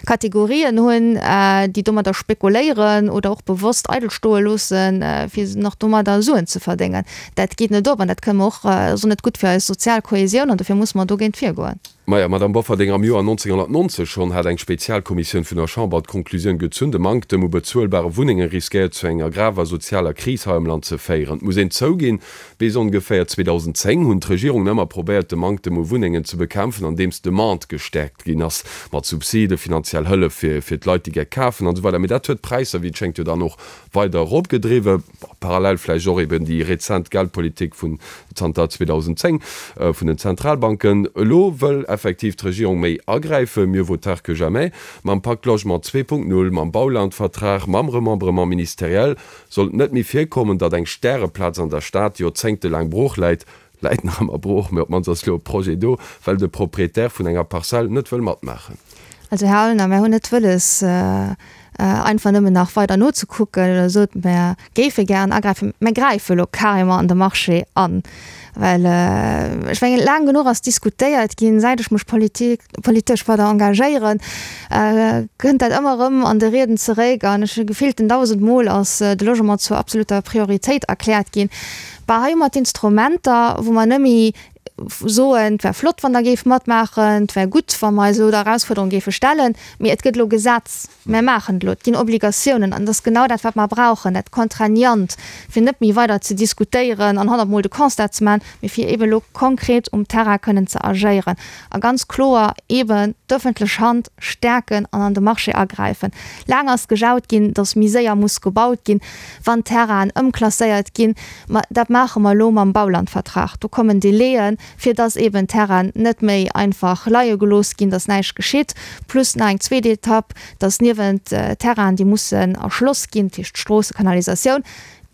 Speaker 4: Kategorien hunn, déi domadder spekuléieren oder och bewosst eidel stoe loossen, fir nach domadder Suen ze verdéngen. Dat geet net op an dat kënne mer och, ass och net gutt fir eis sozial Kohesioun an dofir musse mer dogéint virgoen.
Speaker 3: Maja, Madamm Bofferding, am Joer nonzénghonnertnonzeg schonn hat eng Spezialkommissioun vun der Chamber d'Konklusioun gezunn, de Manktem u bezuelbare Wunnenge riskéiert zu enger graver sozialer Kris hei am Land ze féieren. Et muss een zouginn, bis ongeféier zweedausendzéng hunn d'Regierungen ëmmer probéiert, de Manktem u Wunnengen ze bekämpfen, andeems d'Demande gestäerkt ginn ass, mat Subsiden, finanziell Hëllef fir fir d'Leit, déi gär kafen an esou weider. Mee dat huet d'Präisser, wéi et schéngt, jo dann och weider eropgedriwwen, parallel vläicht och eben déi rezent Geldpolitik vun zanter zweedausendzéng vun den Zentralbanken. Elo wëll effektiv d'Regierung méi agräifen, mieux vaut tard que jamais. Mam Pacte Logement zwee Punkt null, mam Baulandvertrag, mam Remembrement ministériel soll et net méi virkommen, datt eng Stäreplaz an der Stad joerzéngtelaang brooch läit, läit nach ëmmer brooch, mee op d'mannst ass elo e Projet do, well de Proprietär vun enger Parzell net wëll matmaachen.
Speaker 4: Also, Här Aulner, mär hunn net wëlles, einfach nëmmen nach weider nozekucken oder sot, mär géife gären agräifen. Mär gräife elo carrément an de Marché an, well ech mengen, laang genuch ass diskutéiert ginn, säit ech mech politik, politesch weider engagéieren, kënnt dat ëmmer erëm an de Rieden zeréck an ech hu gefillten dausend Mol ass de Logement zur absoluter Prioritéit erkläert ginn. Bah, hei hu mer d'Instrumenter, wou mer net méi soen, et wär flott, wann Der géift matmaachen, et wär gutt, wa mer eis elo der Erausfuerderung géife stellen, mee et gëtt elo Gesetz, mer maachen et elo, et ginn Obligatiounen. An et ass genau dat, wat mer brauchen, dat Contraignant, fir net méi weider ze diskutéieren an honnertmol de Constat ze maachen, mee fir eeben elo konkret um Terrain kënnen ze agéieren a ganz kloer eeben d'öffentlech Hand stäerken an an de Marché agräifen. Laang ass gejaut ginn, datt méi séier muss gebaut ginn, wann Terrainen ëmklasséiert ginn. Ma dat maache mer elo mam Baulandvertrag. Do kommen Délaiën, fir dass eben Terrainen net méi einfach leie gelooss ginn, dass näischt geschitt. Plus nach eng zweet Etapp, dass niewent Terrainen, déi mussen erschloss ginn, dat heescht Stroosse, Kanalisatioun,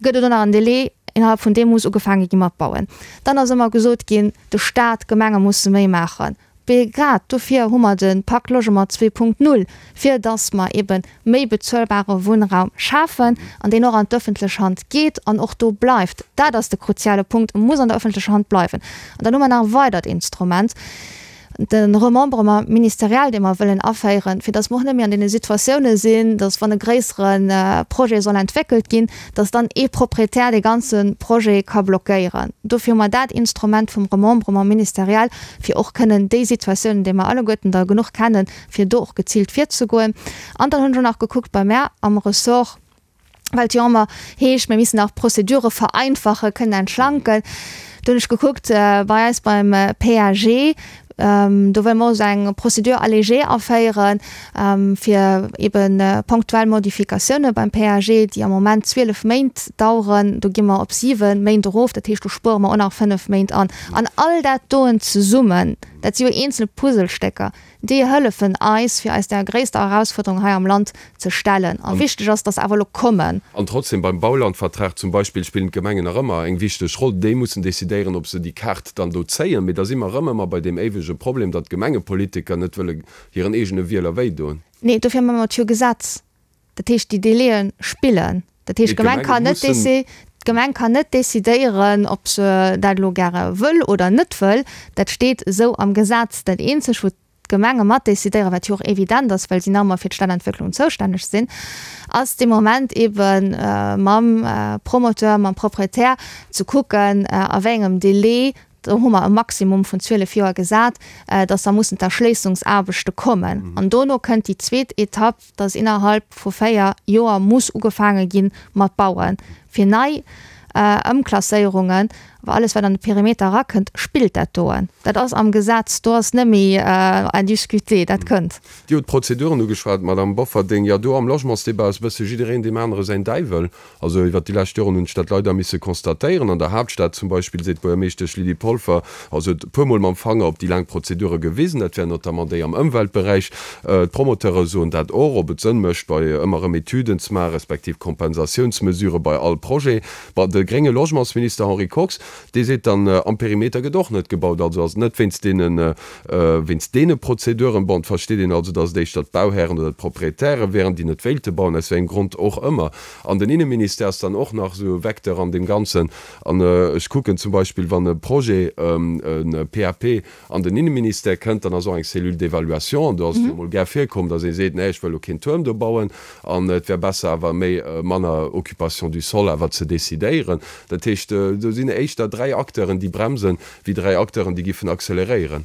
Speaker 4: gëtt et och nach en Délai, innerhalb vun deem muss ugefaange gi mat bauen. Dann ass ëmmer gesot ginn, de Stat, d'Gemenge musse méi maachen. Mee grad dofir hu mer de Pacte Logement zwee Punkt null, fir dass mer ebe méi bezuelbare Wunnraum schafen an deen och an d'öffentlech Hand geet an och do bleift. Dat ass de kruziale Punkt, E muss an der öffentlecher Hand bleiwen. An dann hu mer nach e weidert Instrument, de Remembrement ministériel, dee mer wëllen aféieren, fir dass mer och net méi an deene Situatioune sinn, dass wann e gréissere Projet soll entwéckelt ginn, dass dann ee Proprietär dee ganze Projet ka blockéieren. Dofir hu mer dat Instrument vum Remembrement ministériel, fir och kënnen déi Situatiounen, déi mer alleguerten der genuch kennen, fir do och geziilt virzegoen. An dann hunn ech och nach gekuckt bei mär am Ressort, well et jo ëmmer heescht, mir missten nach d'Prozedure vereinfachen, kënnen entschlanken. Do hunn ech gekuckt bei eis beim P A G, do wëlle mer och esou eng Procédure allégée aféieren, fir ebe ponktuell Modifikatioune beim P A G, déi am Moment zwielef Méint daueren, do gi mer op siwe Méint erof. Dat heescht, do spuere mer och nach fënnef Méint an. An all dat doen zesummen, dat si jo eenzel Puzzlestécker, Déi hëllefen eis, fir eis där gréisster Erausfuerderung hei am Land ze stellen. A wichteg ass, dass se awer elo kommen.
Speaker 3: An trotzdem, beim Baulandvertrag zum Beispill spillen d'Gemengen nach ëmmer eng wichteg Roll. Déi mussen decidéieren, ob se déi Kaart dann do zéien. Mee da si mer erëm ëmmer bei deem éiwege Problem, datt d'Gemengepolitiker net wëlle hiren eegene Wieler wéidoen.
Speaker 4: Nee, dofir hu mer et jo Gesetz. Dat heescht, déi Délaië spillen. Dat heescht, d'Gemeng kann net d'Gemeng kann net decidéieren, ob se dat elo gäre wëll oder net wëll. Dat steet esou am Gesetz. Dat eenzeg, wou d'Gemenge mat decidéieren, wat jo och evident ass, well si nach ëmmer fir d'Stadentwécklung zoustänneg sinn, ass dee Moment ebe mam Promoteur, mam Proprietär ze kucken, a wéi engem Délai, do hu mer e Maximum vun zwielef Joer gesat, dass da mussen d'Erschléissungsaarbechte kommen. An dono kënnt déi zweet Etapp, dass innerhalb vu véier Joer muss ugefaange gi mat bauen. Fir nei Ëmklasséierungen, awer alles wat an de Perimeter erakënnt, spillt dat doen. Dat ass am Gesetz, do ass net méi à discuter, dat kënnt.
Speaker 3: Dir hutt d'Prozeduren ugeschwat, Madamm Bofferding. Jo, do am Logementsdebat ass e bësse jiddereen deem anere säin Däiwel. Also iwwert déi lescht Joren hunn ech dat leider misse constatéieren. An der Haaptstad zum Beispill seet d'Buergermeeschtesch Lydie Polfer, also huet e puermol mam Fanger op déi laang Prozedure gewisen, dat wären notamment déi am Ëmweltberäich. D'Promoteure soen dat och, ob et Sënn mécht, bei ëmmer erëm Etüden ze maachen, respektiv Kompensatiounsmesurë bei all Projet. Bon, de grénge Logementsminister Henri Kox, dee seet dann, am Perimeter gëtt och net gebaut, also ass et net wéinst deene, wéinst deene Prozeduren. Bon, et versteet een also, datt et éischter d'Bauhären oder d'Proprietäre wären, déi net wéilte bauen, aus wéi engem Grond och ëmmer. An den Inneministère ass dann och nach esou e Vecteur an deem Ganzen. An ech kucken zum Beispill, wann e Projet, e P A P an den Inneministère kënnt, dann ass och eng Cellule d'évaluation. An do ass et jo emol gär virkomm, datt ee seet, Nee, ech wëll elo keen Tuerm do bauen an et wär besser awer méi, manner Occupation du sol awer ze decidéieren. Dat heescht, do sinn éischter dräi Acteuren, déi bremsen, wéi dräi Acteuren, déi giffen acceleréieren.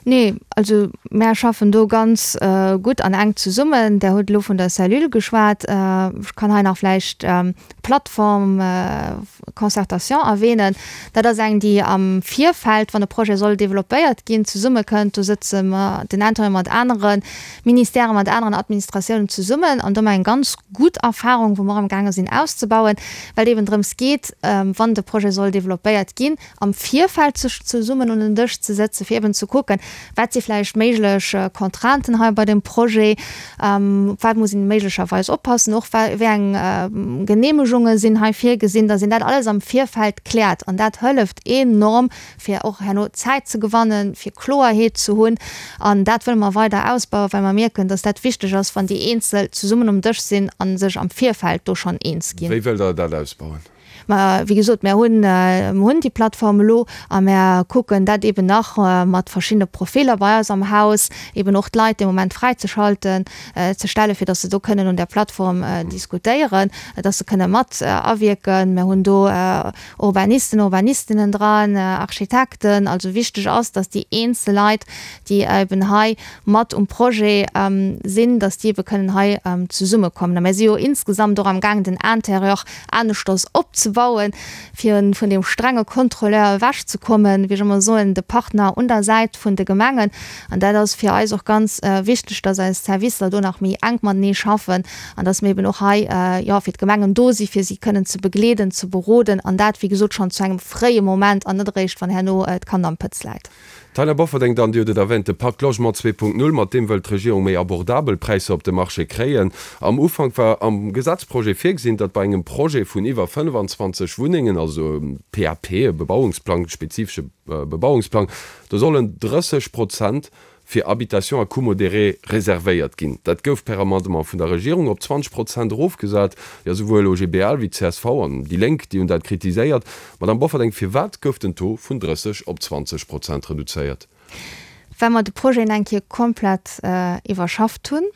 Speaker 4: Nee, also mär schaffen do ganz gutt an enk zesummen. Der hutt elo vun der Cellule geschwat. Ech kann hei nach vläicht d'Plateforme Concertation erwähnen. Dat ass eng, déi am Virfeld, wann e Projet soll developpéiert ginn, zesummekënnt. Do sëtze mer den Intérieur mat anere Ministèren, mat aneren Administratiounen zesummen an do hu mer eng ganz gutt Erfahrung, wou mer och amgaange sinn auszebauen, well et eben drëms geet, wann de Projet soll developpéiert ginn, am Virfeld sech zesummen un den Dësch ze sëtzen, fir eben ze kucken, wat si vläicht méiglech Contrainten hei bei dem Projet, op wat muss een méiglecherweis oppassen, och wéi eng Genehmegunge sinn hei virgesinn, dass een dat alles am Virfeld kläert. An dat hëlleft enorm, fir och herno Zäit ze gewannen, fir Kloerheet ze hunn. An dat wëlle mer weider ausbauen, well mer mierken, dass dat wichteg ass, wann déi eenzel zesummen um Dësch sinn a sech am Virfeld do schonn eens ginn.
Speaker 3: Wéi wëllt Der dat ausbauen?
Speaker 4: Ma wéi gesot, mär hunn, mer hunn déi Plattform elo a mär kucken dat eben nach mat verschiddene Profiller bei eis am Haus, eben och d'Leit dee Moment fräizeschalten, ze stellen, fir datt se do kënnen un där Plattform diskutéieren, datt se kënne mat awierken. Mär hunn do Urbanisten, Urbanistinnen dran, Architekten. Also wichteg ass, datt déi eenzel Leit, déi eben hei mat um Projet sinn, datt déi ebe kënnen hei zesummekommen. A mär si jo insgesamt och amgaangen, den Intérieur aneschters opzebauen, fir vun deem strenge Contrôleur ewechzekommen, wéi ech ëmmer soen, de Partner un der Säit vun de Gemengen. An dat ass fir eis och ganz wichteg, datt eis Servicer do nach méi enk matenee schaffen an datt mir eben och hei, jo, fir d'Gemengen do si fir si kënnen ze begleeden, ze beroden an dat, wéi gesot, schonn zu engem fréie Moment an net eréischt, wann herno d'Kand am Pëtz läit.
Speaker 3: D'Taina Bofferding dann, Dir hutt et erwähnt, de Pacte Logement zwee Punkt null, mat deem wëllt d'Regierung méi abordabel Präisser op de Marché kréien. Am Ufank war am Gesetzprojet virgesinn, datt bei engem Projet vun iwwer fënnfanzwanzeg Wunnengen, also e P A P, e Bebauungsplang, spezifesche Bebauungsplang, do sollen drësseg Prozent fir Habitation à coût modéré reservéiert ginn. Dat gouf per Amendement vun der Regierung op zwanzeg Prozent erofgesat. Jo, souwuel O G B L wéi C S V an déi Lénk, déi hunn dat kritiséiert. Madamm Bofferding, firwat gouf den Taux vun drësseg op zwanzeg Prozent reduzéiert?
Speaker 4: Well mer de Projet eng Kéier komplett iwwerschafft hunn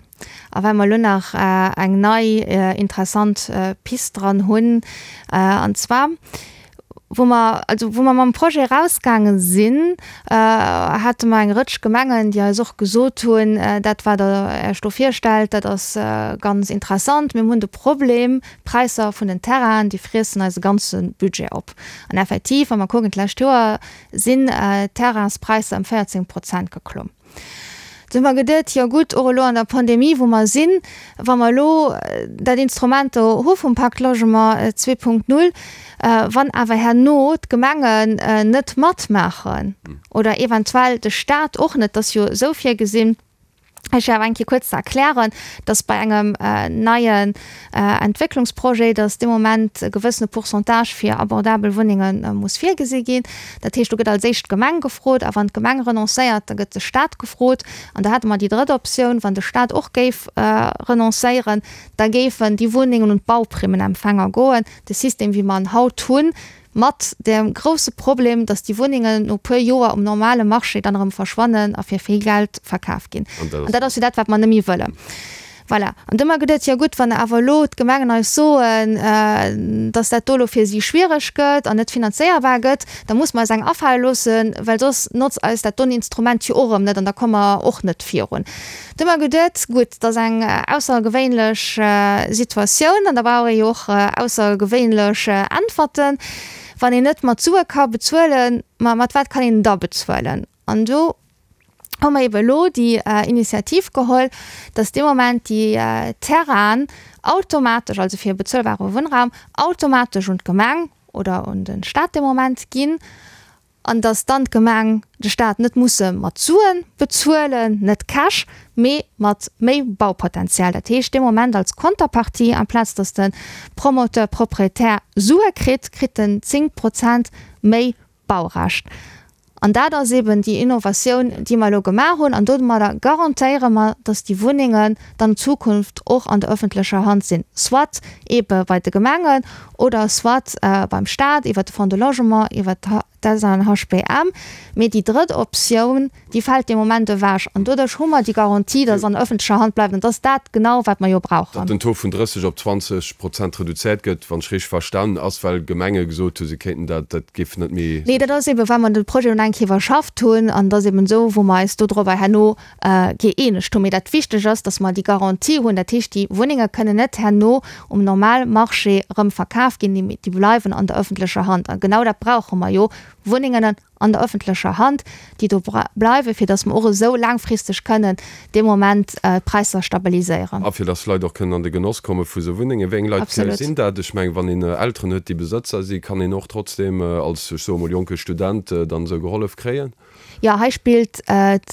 Speaker 4: a well mer elo nach eng nei interessant Pist dran hunn, an zwar, wou mer, also wou mer mam Projet erausgaange sinn, hate mer eng Rëtsch Gemengen, déi eis och gesot hunn, dat wat Der Iech do virstellt, dat ass ganz interessant, mir hunn de Problem, d'Präisser vun den Terrainen, déi friessen eise ganze Budget op. An effektiv, wa mer kucken, d'lescht Joer sinn d'Terrainspräisser ëm véierzéng Prozent geklomm. Du hu mer geduet, jo gutt, och elo an der Pandemie, wou mer sinn, wa mer elo dat Instrument do hu vum Pacte Logement zwee Punkt null, wann awer herno d'Gemengen net matmaachen oder eventuell de Stat och net, dat ass jo esou virgesinn, Ech awer eng Kéier kuerz ze erklären, dass bei engem neien Entwécklungsprojet, dass dee Moment e gewëssene Pourcentage fir abordabel Wunnenge muss virgesi ginn. Dat heescht, do gëtt als éischt d'Gemeng gefrot a wann d'Gemeng renoncéiert, da gëtt de Stat gefrot. An da hätte mer déi drëtt Optioun, wann de Stat och géif renoncéieren, da géifen déi Wunnengen un d'Bauprimmenempfänger goen. De System, wéi mer en haut hunn, mat dem grousse Problem, dass déi Wunnengen no e puer Joer um normale Marché dann erëm verschwannen a fir vill Geld verkaf ginn. An dat ass jo dat, wat mer net méi wëllen. Voilà. An du hu mer geduet, jo gutt, wann awer elo d'Gemengen eis soen, dass dat do elo fir si schwiereg gëtt an net finanzéierbar gëtt, da muss mer eis eng afale loossen, well soss notzt eis dat don Instrument jo och erëm net an da komme mer och net virun. Du hu mer geduet, gutt, dat ass eng aussergewéinlech Situatioun an da brauch ee jo och aussergewéinlech Äntwerten. Wann een net mat Sue ka bezuelen, ma mat wat kann een da bezuelen? An do hu mer ebe elo déi Initiativ geholl, dass dee Moment déi Terrainen automatesch, also fir bezuelbare Wunnraum, automatesch un d'Gemeng oder un de Stat dee Moment ginn an dass dann d'Gemeng, de Stat net musse mat Sue bezuelen, net Cash, mee mat méi Baupotenzial. Dat heescht, dee Moment als Konterpartie, amplaz dass de Promoteur, Proprietär Sue kritt, kritt en zéng Prozent méi Baurecht. An dat ass eben déi Innovatioun, déi mer elo gemaach hunn. An domadder garantéiere mer, dass déi Wunnengen dann an Zukunft och an der öffentlecher Hand sinn, soit ebe bei de Gemengen oder soit beim Stat iwwert de Fonds de Logement, iwwert d'SNHBM. Mee déi drëtt Optioun, déi fält dee Moment ewech. An doduerch hu mer déi Garantie, dass se an öffentlecher Hand bleift. An dat ass dat genau, wat mer jo brauchen.
Speaker 3: Datt den Taux vun drësseg op zwanzeg Prozent reduzéiert gëtt, wann ech richteg verstanen, ass, well Gemenge gesot hu se kéinten dat, dat géif net méi.
Speaker 4: Nee, dat ass eeben, well mer de Projet elo eng Kéier iwwerschafft hunn. An et ass eeben esou, wou mer eis dodrobber herno gëeenegt hunn. Mee dat Wichteg ass, dass mer déi Garantie hunn. Dat heescht, déi Wunnenge kënnen net herno um Normalmarché erëm verkaf ginn, déi bleiwen an der öffentlecher Hand. A genau dat brauche mer jo, Wunnengen an der öffentlecher Hand, déi do bleiwen, fir dass mer och esou laangfristeg kënnen dee Moment d'Präisser stabiliséieren.
Speaker 3: A fir dass Leit och kënnen an de Genoss komme vu sou Wunnengen. Wéi eng Leit sinn dat? Ech mengen, wann een Elteren huet, déi Besëtzer sinn, kann een och trotzdeem als, ech soe mol, jonke Student dann esou gehollef kréien?
Speaker 4: Jo, hei spillt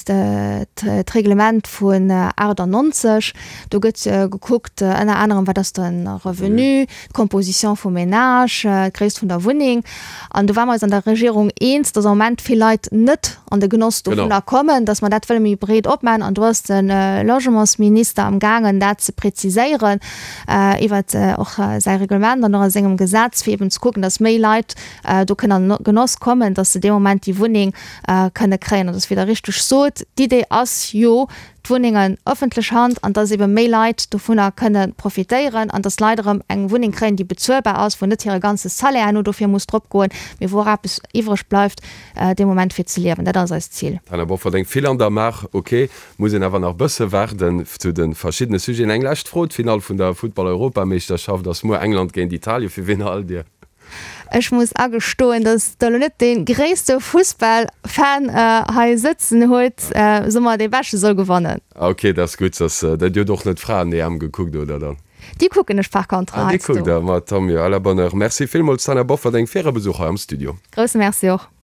Speaker 4: d'Reglement vun aachtannonzeg. Do gëtt gekuckt, ënner anerem, wat ass de Revenu, d'Composition vum Ménage, d'Gréisst vun der Wunneng. An do ware mer eis an der Regierung eens, dass am Moment vill Leit net an de Genoss dovunner kommen, dass mer dat wëlle méi breet opmaachen. An do ass de Logementsminister amgaangen, dat ze preziséieren iwwer och säi Reglement an och a sengem Gesetz, fir eben ze kucken, dass méi Leit do kënnen an de Genoss kommen, dass se dee Moment déi Wunneng kënne kréien. An dass, wéi Der richteg sot, d'Idee ass jo, d'Wunnengen ëffentlech Hand an dass ebe méi Leit dovunner kënne profitéieren an dass d'Leit erëm eng Wunneng kréien, déi bezuelbar ass, wou net hire ganze Salaire herno dofir muss dropgoen, mee wou och eppes iwwreg bleift dee Moment fir ze liewen. Dat ass eist Zil.
Speaker 3: D'Taina Bofferding, Vill an der Maach, ok. Muss een awer nach bësse waarden zu de verschiddene Sujeten. Eng lescht Fro, D'Finall vun der Futtball-Europameeschterschaft ass muer, England géint Italien. Fir wien halt Dir?
Speaker 4: Ech muss agestoen, dass der elo net dee gréisste Fussball-Fan hei sëtzen huet, sou mer dee Beschte soll gewannen.
Speaker 3: Ok, dat ass gutt. Dass der Dir hutt och net d'Fraen-E M gekuckt, oder dann?
Speaker 4: Déi kucken ech par contre
Speaker 3: Ah, déi kuckt
Speaker 4: heiansdo.
Speaker 3: der, ma tant mieux, à la bonne heure. Merci villmools, Taina Bofferding, fir Äre Besuch hei am Studio.
Speaker 4: Grousse Merci och.